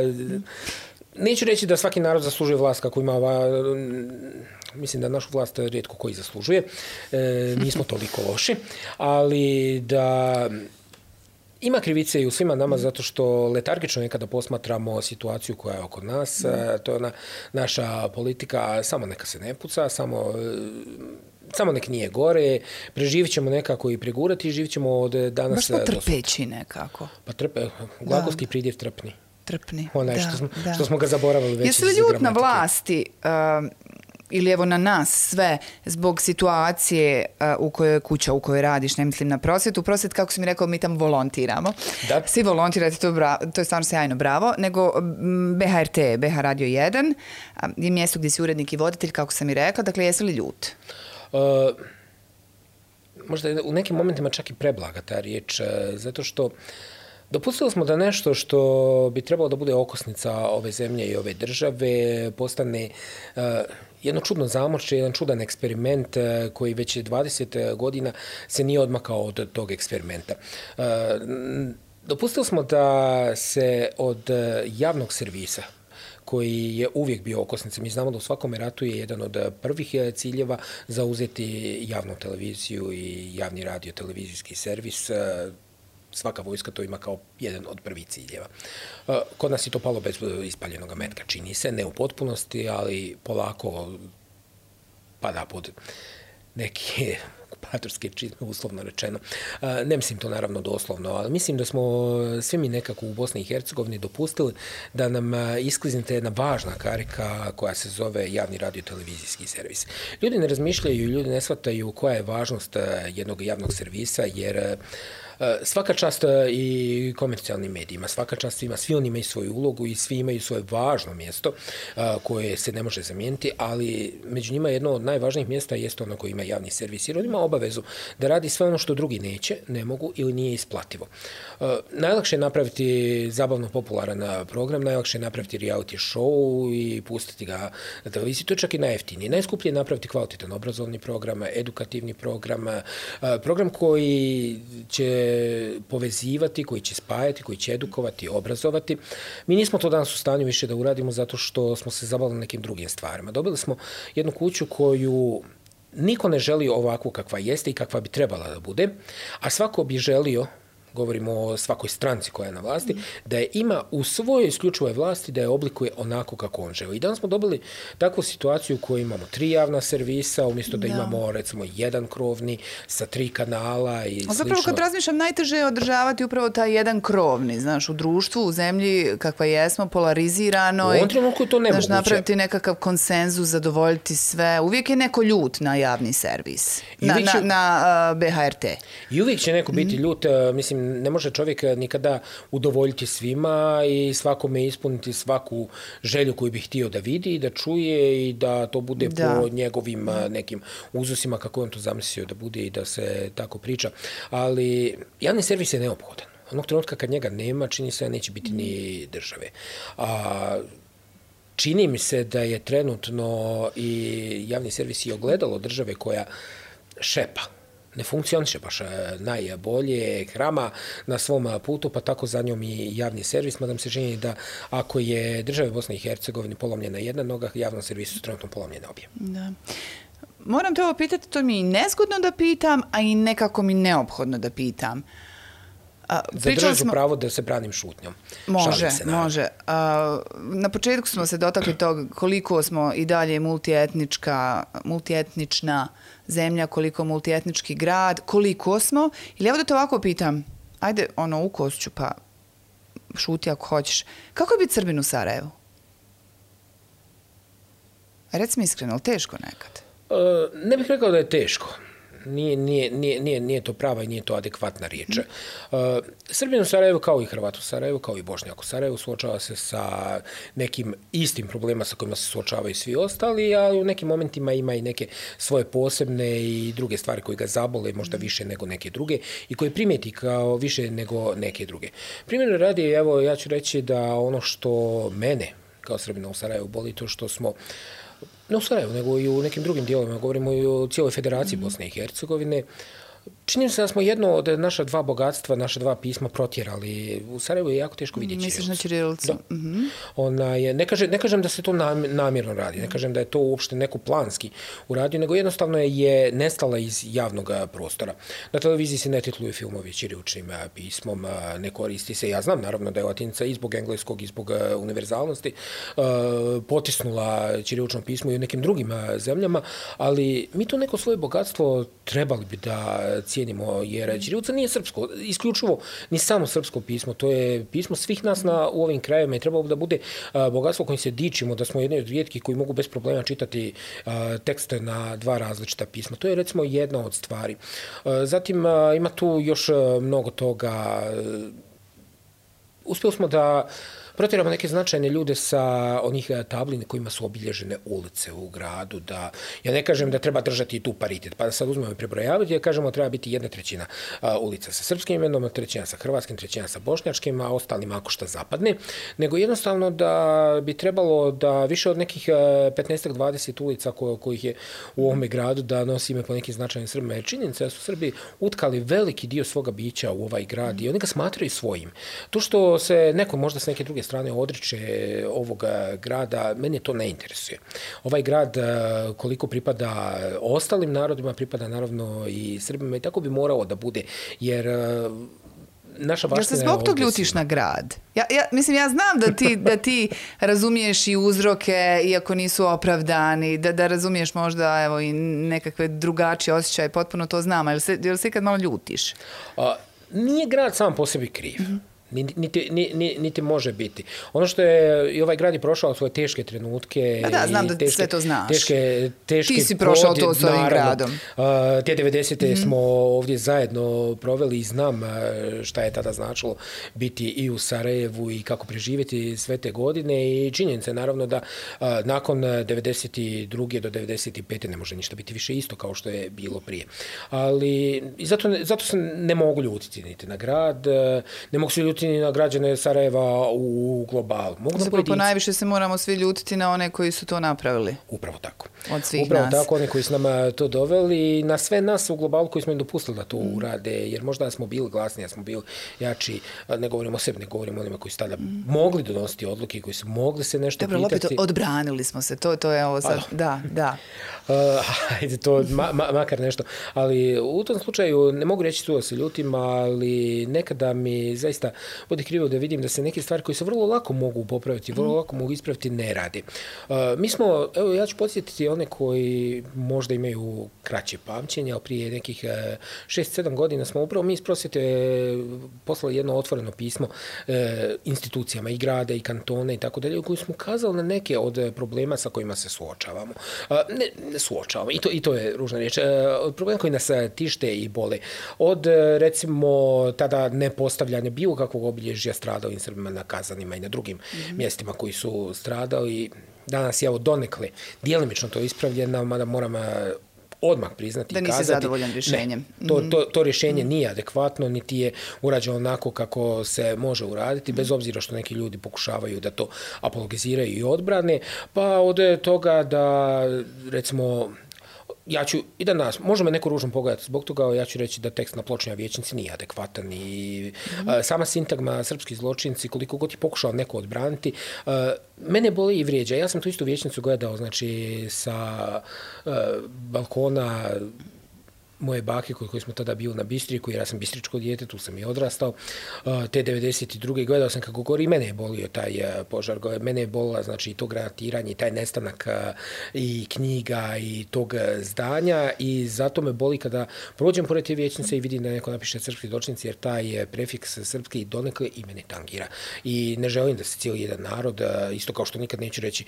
S2: Neću reći da svaki narod zaslužuje vlast kako ima ova... Mislim da našu vlast rijetko koji zaslužuje. E, nismo toliko loši. Ali da... Ima krivice i u svima nama zato što letargično nekada posmatramo situaciju koja je oko nas. Mm. To je ona naša politika, samo neka se ne puca, samo... Samo nek nije gore, preživit ćemo nekako i pregurati i živit ćemo od danas...
S1: Baš smo trpeći nekako.
S2: Pa trpe, glagolski pridjev trpni.
S1: Trpni,
S2: Onaj
S1: da,
S2: što smo,
S1: da.
S2: Što smo ga zaboravili već.
S1: Jesi li ljut na vlasti uh, ili evo na nas sve zbog situacije uh, u kojoj je kuća, u kojoj radiš, ne mislim na prosvjetu. Prosvjet, kako si mi rekao, mi tamo volontiramo. Da. Svi volontirate, to, to je stvarno sjajno, bravo. Nego B H R T, B H Radio jedan uh, je mjesto gdje si urednik i voditelj, kako sam i rekla. Dakle, jesi li ljut?
S2: Uh, možda u nekim momentima čak i preblaga ta riječ, uh, zato što dopustili smo da nešto što bi trebalo da bude okosnica ove zemlje i ove države postane uh, jedno čudno zamorče, jedan čudan eksperiment uh, koji već dvadeset godina se nije odmakao od tog eksperimenta. Uh, dopustili smo da se od javnog servisa koji je uvijek bio okosnica. Mi znamo da u svakom ratu je jedan od prvih ciljeva zauzeti javnu televiziju i javni radio televizijski servis. Svaka vojska to ima kao jedan od prvih ciljeva. Kod nas je to palo bez ispaljenog metka, čini se, ne u potpunosti, ali polako pada pod neki okupatorske čizme, uslovno rečeno. Ne mislim to naravno doslovno, ali mislim da smo svi mi nekako u Bosni i Hercegovini dopustili da nam iskliznete jedna važna karika koja se zove javni radio-televizijski servis. Ljudi ne razmišljaju i ljudi ne shvataju koja je važnost jednog javnog servisa, jer svaka čast i komercijalnim medijima, svaka čast svima, svi oni imaju svoju ulogu i svi imaju svoje važno mjesto koje se ne može zamijeniti, ali među njima jedno od najvažnijih mjesta jeste ono koji ima javni servis, jer on ima obavezu da radi sve ono što drugi neće, ne mogu ili nije isplativo. Najlakše je napraviti zabavno popularan program, najlakše je napraviti reality show i pustiti ga na televiziji, to je čak i najjeftinije. Najskuplje je napraviti kvalitetan obrazovni program, edukativni program, program koji će povezivati, koji će spajati, koji će edukovati, obrazovati. Mi nismo to danas u stanju više da uradimo zato što smo se zabavili nekim drugim stvarima. Dobili smo jednu kuću koju niko ne želi ovakvu kakva jeste i kakva bi trebala da bude, a svako bi želio, govorimo o svakoj stranci koja je na vlasti, da je ima u svojoj isključivoj vlasti, da je oblikuje onako kako on želi. I danas smo dobili takvu situaciju u kojoj imamo tri javna servisa, umjesto da, da imamo recimo jedan krovni sa tri kanala i slično. A zapravo
S1: kad razmišljam, najteže je održavati upravo taj jedan krovni, znaš, u društvu, u zemlji kakva jesmo, polarizirano.
S2: U ovom trenutku je to nemoguće.
S1: Znaš, napraviti nekakav konsenzus, zadovoljiti sve. Uvijek je neko ljut na javni servis, na, će, na, na uh, B H R T.
S2: I uvijek će neko biti mm. ljut, uh, mislim, ne može čovjek nikada udovoljiti svima i svakome ispuniti svaku želju koju bi htio da vidi i da čuje i da to bude da. po njegovim nekim uzusima kako on to zamislio da bude i da se tako priča. Ali javni servis je neophodan. Onog trenutka kad njega nema, čini se da neće biti ni države. A čini mi se da je trenutno i javni servis i ogledalo države koja šepa. Ne funkcioniše baš najbolje, hrama na svom putu, pa tako za njom i javni servis, mada mi se čini da ako je države Bosne i Hercegovine polomljena jedna noga, javnom servisu su trenutno polomljene obje.
S1: Da. Moram te ovo pitati, to mi je nezgodno da pitam, a i nekako mi neophodno da pitam.
S2: Zadržat ću smo... pravo da se branim šutnjom.
S1: Može, se, može. A, na početku smo se dotakli toga koliko smo i dalje multietnička, multietnična zemlja, koliko multietnički grad, koliko smo. Ili evo da te ovako pitam, ajde ono u košću pa šuti ako hoćeš. Kako je biti Srbin u Sarajevu? Reci mi iskreno, ali teško nekad?
S2: Uh, ne bih rekao da je teško. Nije, nije, nije, nije, nije to prava i nije to adekvatna riječ. Mm. Uh, Srbin u Sarajevu kao i Hrvat u Sarajevu, kao i Bošnjak u Sarajevu, suočava se sa nekim istim problema sa kojima se suočavaju svi ostali, ali u nekim momentima ima i neke svoje posebne i druge stvari koje ga zabole, možda više nego neke druge i koje primijeti kao više nego neke druge. Primjer radi, evo, ja ću reći da ono što mene kao Srbina u Sarajevu boli, to što smo ne u Sarajevu, nego i u nekim drugim dijelovima, govorimo i o cijeloj federaciji mm-hmm. Bosne i Hercegovine. Čini se da smo jedno od naša dva bogatstva, naša dva pisma protjerali. U Sarajevu je jako teško vidjeti
S1: ćirilicu. Misliš na ćirilicu?
S2: Da. Mm-hmm. Ona je, ne, kaže, ne kažem da se to namjerno radi, ne kažem da je to uopšte neko planski uradio, nego jednostavno je nestala iz javnog prostora. Na televiziji se ne titluju filmovi ćiriličnim pismom, ne koristi se. Ja znam naravno da je latinica i zbog engleskog i zbog univerzalnosti potisnula ćirilično pismo i u nekim drugim zemljama, ali mi to neko svoje bogatstvo trebali bi da cijenimo, jer ćirilica nije srpsko, isključivo ni samo srpsko pismo, to je pismo svih nas na, u ovim krajevima i trebalo bi da bude a, bogatstvo kojim se dičimo, da smo jedni od rijetkih koji mogu bez problema čitati a, tekste na dva različita pisma. To je recimo jedna od stvari. A, zatim a, ima tu još a, mnogo toga. Uspjeli smo da protjeramo neke značajne ljude sa onih tablina kojima su obilježene ulice u gradu. Da, ja ne kažem da treba držati tu paritet, pa da sad uzmemo i prebrojavati, ja kažemo da treba biti jedna trećina a, ulica sa srpskim imenom, trećina sa hrvatskim, trećina sa bošnjačkim, a ostalim ako šta zapadne, nego jednostavno da bi trebalo da više od nekih petnaest do dvadeset ulica ko, kojih je u ovome gradu da nosi ime po nekim značajnim Srbima. Jer činjenica da su Srbi utkali veliki dio svoga bića u ovaj grad i oni ga smatraju svojim. To što se neko možda s neke druge strane odriče ovoga grada, mene to ne interesuje. Ovaj grad koliko pripada ostalim narodima, pripada naravno i Srbima i tako bi morao da bude, jer naša baština...
S1: Ja se zbog tog ljutiš na grad? Ja, ja, mislim, ja znam da ti, da ti razumiješ i uzroke, iako nisu opravdani, da, da razumiješ možda evo, i nekakve drugačije osjećaje, potpuno to znam, ali se, jel se ikad malo ljutiš?
S2: A, nije grad sam po sebi kriv. Mm-hmm. Niti, niti, niti može biti. Ono što je, i ovaj grad je prošao svoje teške trenutke.
S1: Da, da, znam da
S2: teške,
S1: sve to znaš.
S2: Teške, teške
S1: Ti si prošao to s ovim gradom.
S2: Uh, te devedesete mm-hmm. smo ovdje zajedno proveli i znam šta je tada značilo biti i u Sarajevu i kako preživjeti sve te godine i činjenica je naravno da uh, nakon devedeset druge do devedeset pete ne može ništa biti više isto kao što je bilo prije. Ali i zato, zato se ne mogu ljutiti niti na grad, ne mogu se ljutiti ni na građane Sarajeva u globalu. Mogu
S1: Zapravo po najviše se moramo svi ljutiti na one koji su to napravili.
S2: Upravo tako.
S1: Od svih
S2: Upravo
S1: nas.
S2: tako, oni koji su nama to doveli i na sve nas u globalu koji smo im dopustili da to mm. urade, jer možda smo bili glasni, ja smo bili jači, ne govorimo o sebi, ne govorimo o onima koji su tada mm. mogli donositi odluke, koji su mogli se nešto
S1: Dobro,
S2: pitati.
S1: Dobro, opet odbranili smo se, to, to je ovo sad, da, da.
S2: Uh, ajde, to ma, ma, makar nešto. Ali u tom slučaju, ne mogu reći tu da se ljutim, ali nekada mi zaista vodi krivo da vidim da se neke stvari koje se vrlo lako mogu popraviti, vrlo lako mogu ispraviti, ne radi. Uh, mi smo, evo ja ću podsjetiti one koji možda imaju kraće pamćenje, ali prije nekih šest sedam godina smo upravo mi iz prosvjete poslali jedno otvoreno pismo uh, institucijama i grada i kantona i tako dalje, u koju smo ukazali na neke od problema sa kojima se suočavamo. Uh, ne, ne suočavamo, i to, i to je ružna riječ. Uh, od problema koji nas tište i bole. Od, recimo, tada nepostavljanja bilo kakvog obilježja stradalih Srbima na Kazanima i na drugim mm-hmm. mjestima koji su stradali. Danas je evo donekle djelimično to ispravljeno, mada moram odmah priznati
S1: da
S2: i
S1: nisi
S2: kazati.
S1: zadovoljan rješenjem.
S2: Ne, to, to, to rješenje mm-hmm. nije adekvatno, niti je urađeno onako kako se može uraditi, mm-hmm. bez obzira što neki ljudi pokušavaju da to apologiziraju i odbrane, pa od toga da, recimo, ja ću i danas, može me neko ružno pogledati zbog toga, ja ću reći da tekst na pločnoj vijećnici nije adekvatan i mm-hmm. a, sama sintagma srpski zločinci, koliko god je pokušao neko odbraniti, a, mene boli i vrijeđa. Ja sam tu istu vijećnicu gledao, znači, sa a, balkona moje bake koji smo tada bili na Bistriku, jer ja sam bistričko dijete, tu sam i odrastao, te devedeset druge gledao sam kako gori i mene je bolio taj požar, mene je bolila, znači, i to granatiranje, i taj nestanak i knjiga i tog zdanja i zato me boli kada prođem pored te vijećnice i vidim da neko napiše srpski zločinci, jer taj prefiks srpski donekle i mene tangira. I ne želim da se cijeli jedan narod, isto kao što nikad neću reći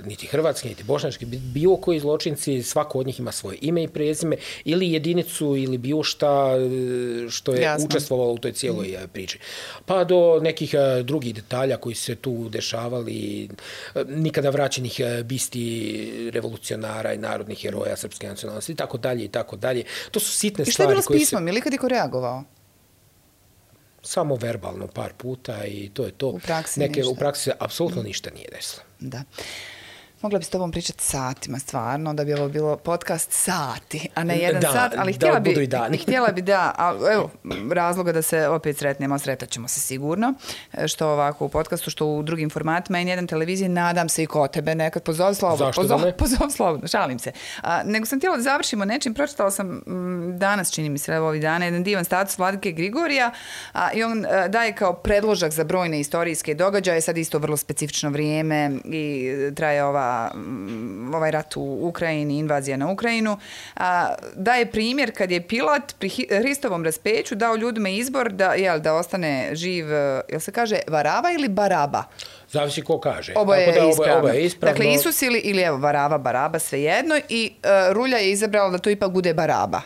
S2: niti hrvatski, niti bošnjački, bilo koji zločinci, svako od njih ima svoje ime i prezime, ili jedinicu ili bilo šta što je Jasno. učestvovalo u toj cijeloj mm. priči. Pa do nekih drugih detalja koji se tu dešavali, nikada vraćenih bisti revolucionara i narodnih heroja srpske nacionalnosti i tako dalje i tako dalje. To su sitne stvari.
S1: I što je bilo s pismom?
S2: Se...
S1: Ili kad je ko reagovao?
S2: Samo verbalno par puta i to je to.
S1: U praksi
S2: Neke,
S1: ništa.
S2: U praksi se apsolutno mm. ništa nije desilo.
S1: Da. Mogla bi s tobom pričati satima, stvarno, da bi ovo bilo podcast sati, a ne jedan
S2: da,
S1: sat, ali
S2: da
S1: htjela bi,
S2: budu i dani.
S1: htjela bi da, a, evo, razloga da se opet sretnemo, sretat ćemo se sigurno, što ovako u podcastu, što u drugim formatima i nijedan televiziji, nadam se i kod tebe nekad, pozov slobodno.
S2: Zašto
S1: pozov,
S2: da ne?
S1: Pozov slobodno, šalim se. A, nego sam htjela da završimo nečim, pročitala sam m, danas, čini mi se, evo ovih dana, jedan divan status Vladike Grigorija a, i on a, daje kao predložak za brojne istorijske događaje, sad isto vrlo specifično vrijeme i traje ova ovaj rat u Ukrajini, invazija na Ukrajinu, a, daje primjer kad je Pilat pri Hristovom raspeću dao ljudima izbor da, jel, da ostane živ, jel se kaže Varava ili Baraba?
S2: Zavisi ko kaže.
S1: Oba je,
S2: da,
S1: ispravno.
S2: Oba je ispravno.
S1: Dakle, Isus ili, ili evo, Varava, Baraba, svejedno i uh, Rulja je izabrala da to ipak bude Baraba.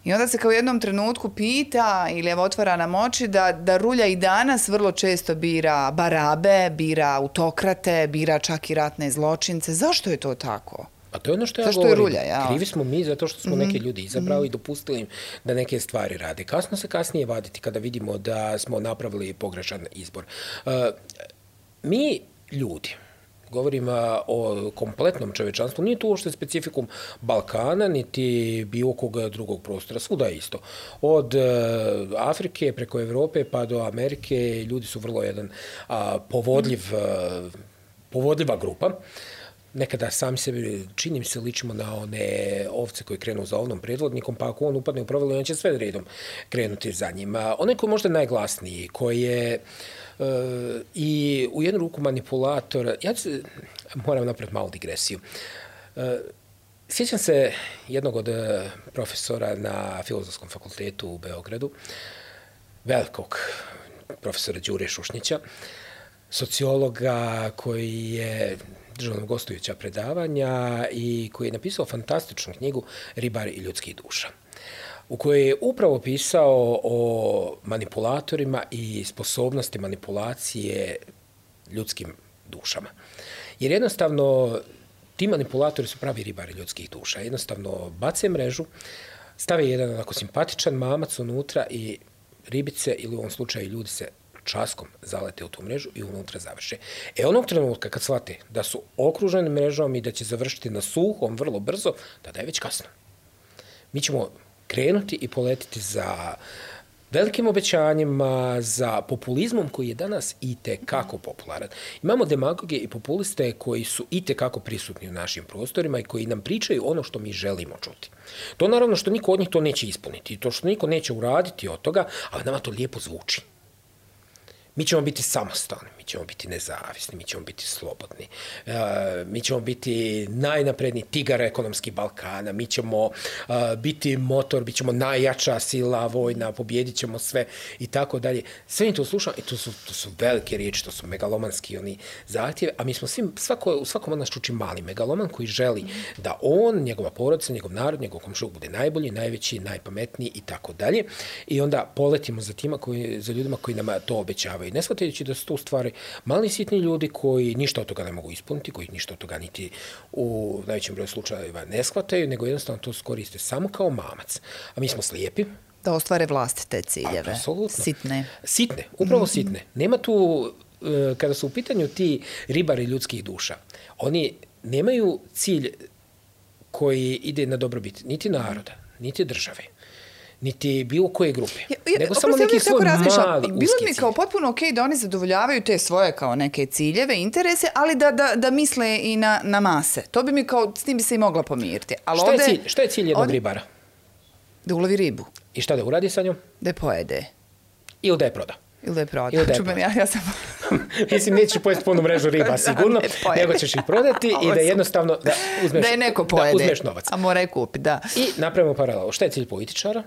S1: I onda se kao u jednom trenutku pita ili evo otvara nam oči da, da Rulja i danas vrlo često bira barabe, bira autokrate, bira čak i ratne zločince. Zašto je to tako?
S2: A to je ono što ja
S1: Zašto
S2: govorim.
S1: Je Rulja, ja?
S2: Krivi smo mi zato što smo mm-hmm. neke ljudi izabrali mm-hmm. i dopustili im da neke stvari rade. Kasno se kasnije vaditi kada vidimo da smo napravili pogrešan izbor. Uh, mi ljudi, govorim o kompletnom čovječanstvu, nije to uopšte specifikum Balkana, niti bilo kog drugog prostora, svuda je isto. Od Afrike preko Evrope pa do Amerike ljudi su vrlo jedan a, povodljiv, a, povodljiva grupa. nekada sami sebi, čini mi se, ličimo na one ovce koji krenu za ovnom predvodnikom, pa ako on upadne u provalu, on će sve redom krenuti za njim. Onaj koji je možda najglasniji, koji je uh, i u jednu ruku manipulator, ja ću, moram napraviti malu digresiju. Uh, sjećam se jednog od profesora na Filozofskom fakultetu u Beogradu, velikog profesora Đure Šušnića, sociologa koji je držao nam gostujuća predavanja i koji je napisao fantastičnu knjigu Ribari i ljudskih duša, u kojoj je upravo pisao o manipulatorima i sposobnosti manipulacije ljudskim dušama. Jer jednostavno ti manipulatori su pravi ribari ljudskih duša. Jednostavno bace mrežu, stave jedan onako simpatičan mamac unutra i ribice, ili u ovom slučaju ljudi, se časkom zalete u tu mrežu i unutra završe. E onog trenutka kad shvate da su okruženi mrežom i da će završiti na suhom vrlo brzo, tada je već kasno. Mi ćemo krenuti i poletiti za velikim obećanjima, za populizmom koji je danas i tekako popularan. Imamo demagoge i populiste koji su i tekako prisutni u našim prostorima i koji nam pričaju ono što mi želimo čuti. To naravno što niko od njih to neće ispuniti, to što niko neće uraditi od toga, ali nama to lijepo zvuči. Mi ćemo biti samostalni, mi ćemo biti nezavisni, mi ćemo biti slobodni, uh, mi ćemo biti najnapredniji tigar ekonomski Balkana, mi ćemo uh, biti motor, bit ćemo najjača sila vojna, pobjedit ćemo sve i tako dalje. Sve mi to slušamo i to su, to su velike riječi, to su megalomanski oni zahtjeve, a mi smo svim, svako, u svakom od nas čuči mali megaloman koji želi da on, njegova porodica, njegov narod, njegov komšiluk bude najbolji, najveći, najpametniji i tako dalje. I onda poletimo za tima koji, za ljudima koji nam to obećavaju. I ne shvatajući da su to u stvari mali sitni ljudi koji ništa od toga ne mogu ispuniti, koji ništa od toga niti u najvećem broju slučajeva ne shvataju, nego jednostavno to koriste samo kao mamac. A mi smo slijepi.
S1: Da ostvare vlastite ciljeve.
S2: Apsolutno.
S1: Sitne.
S2: Sitne, upravo sitne. Nema tu, kada su u pitanju ti ribari ljudskih duša, oni nemaju cilj koji ide na dobrobit niti naroda, niti države, niti bilo koje grupe,
S1: ja, ja,
S2: nego samo neki svoj mali uski cilj.
S1: Bilo mi kao potpuno okej okay da oni zadovoljavaju te svoje kao neke ciljeve, interese, ali da, da, da misle i na, na mase. To bi mi kao, s tim bi se i mogla pomiriti. Ali
S2: šta,
S1: ovde,
S2: je cilj, šta je cilj jednog ovde, ribara?
S1: Da ulovi ribu.
S2: I šta da uradi sa njom?
S1: Da je pojede.
S2: Ili da je proda.
S1: Ili da je proda.
S2: Ili da je
S1: proda. Ja, ja sam...
S2: Mislim, nećeš pojesti punu mrežu riba, sigurno, da, nego ćeš ih prodati i da jednostavno da uzmeš,
S1: da je neko pojede,
S2: da uzmeš novac.
S1: A mora je kupi, da.
S2: I napravimo paralelu. Šta je cilj političara?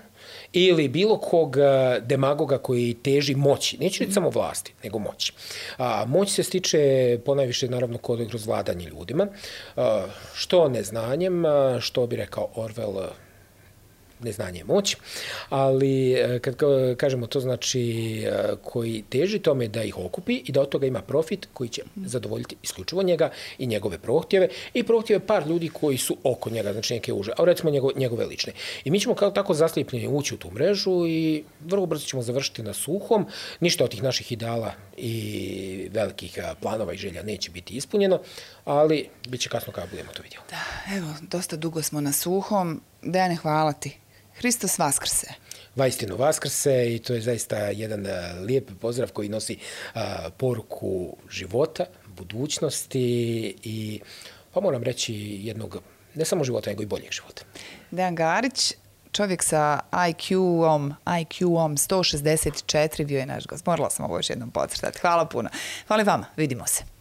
S2: Ili bilo kog demagoga koji teži moći. Neću reći samo vlasti, nego moći. A, moć se stiče ponajviše, naravno, kroz vladanje ljudima. A, što neznanjem, što bi rekao Orwell, neznanje je moć, ali kad kažemo to znači koji teži tome da ih okupi i da od toga ima profit koji će zadovoljiti isključivo njega i njegove prohtjeve i prohtjeve par ljudi koji su oko njega, znači neke uže, a recimo njegove, njegove lične. I mi ćemo kao tako zaslijepljeni ući u tu mrežu i vrlo brzo ćemo završiti na suhom, ništa od tih naših ideala i velikih planova i želja neće biti ispunjeno, ali bit će kasno kada budemo to vidjeli.
S1: Da, evo, dosta dugo smo na suhom. Dejane, hvala ti. Hristos vaskrse.
S2: Vaistinu vaskrse i to je zaista jedan lijep pozdrav koji nosi uh, poruku života, budućnosti i, pa moram reći, jednog, ne samo života, nego i boljeg života.
S1: Dejan Garić, čovjek sa I Q-om, I Q-om sto šezdeset četiri, bio je naš gost. Morala sam ovo još jednom podcrtati. Hvala puno. Hvala vama. Vidimo se.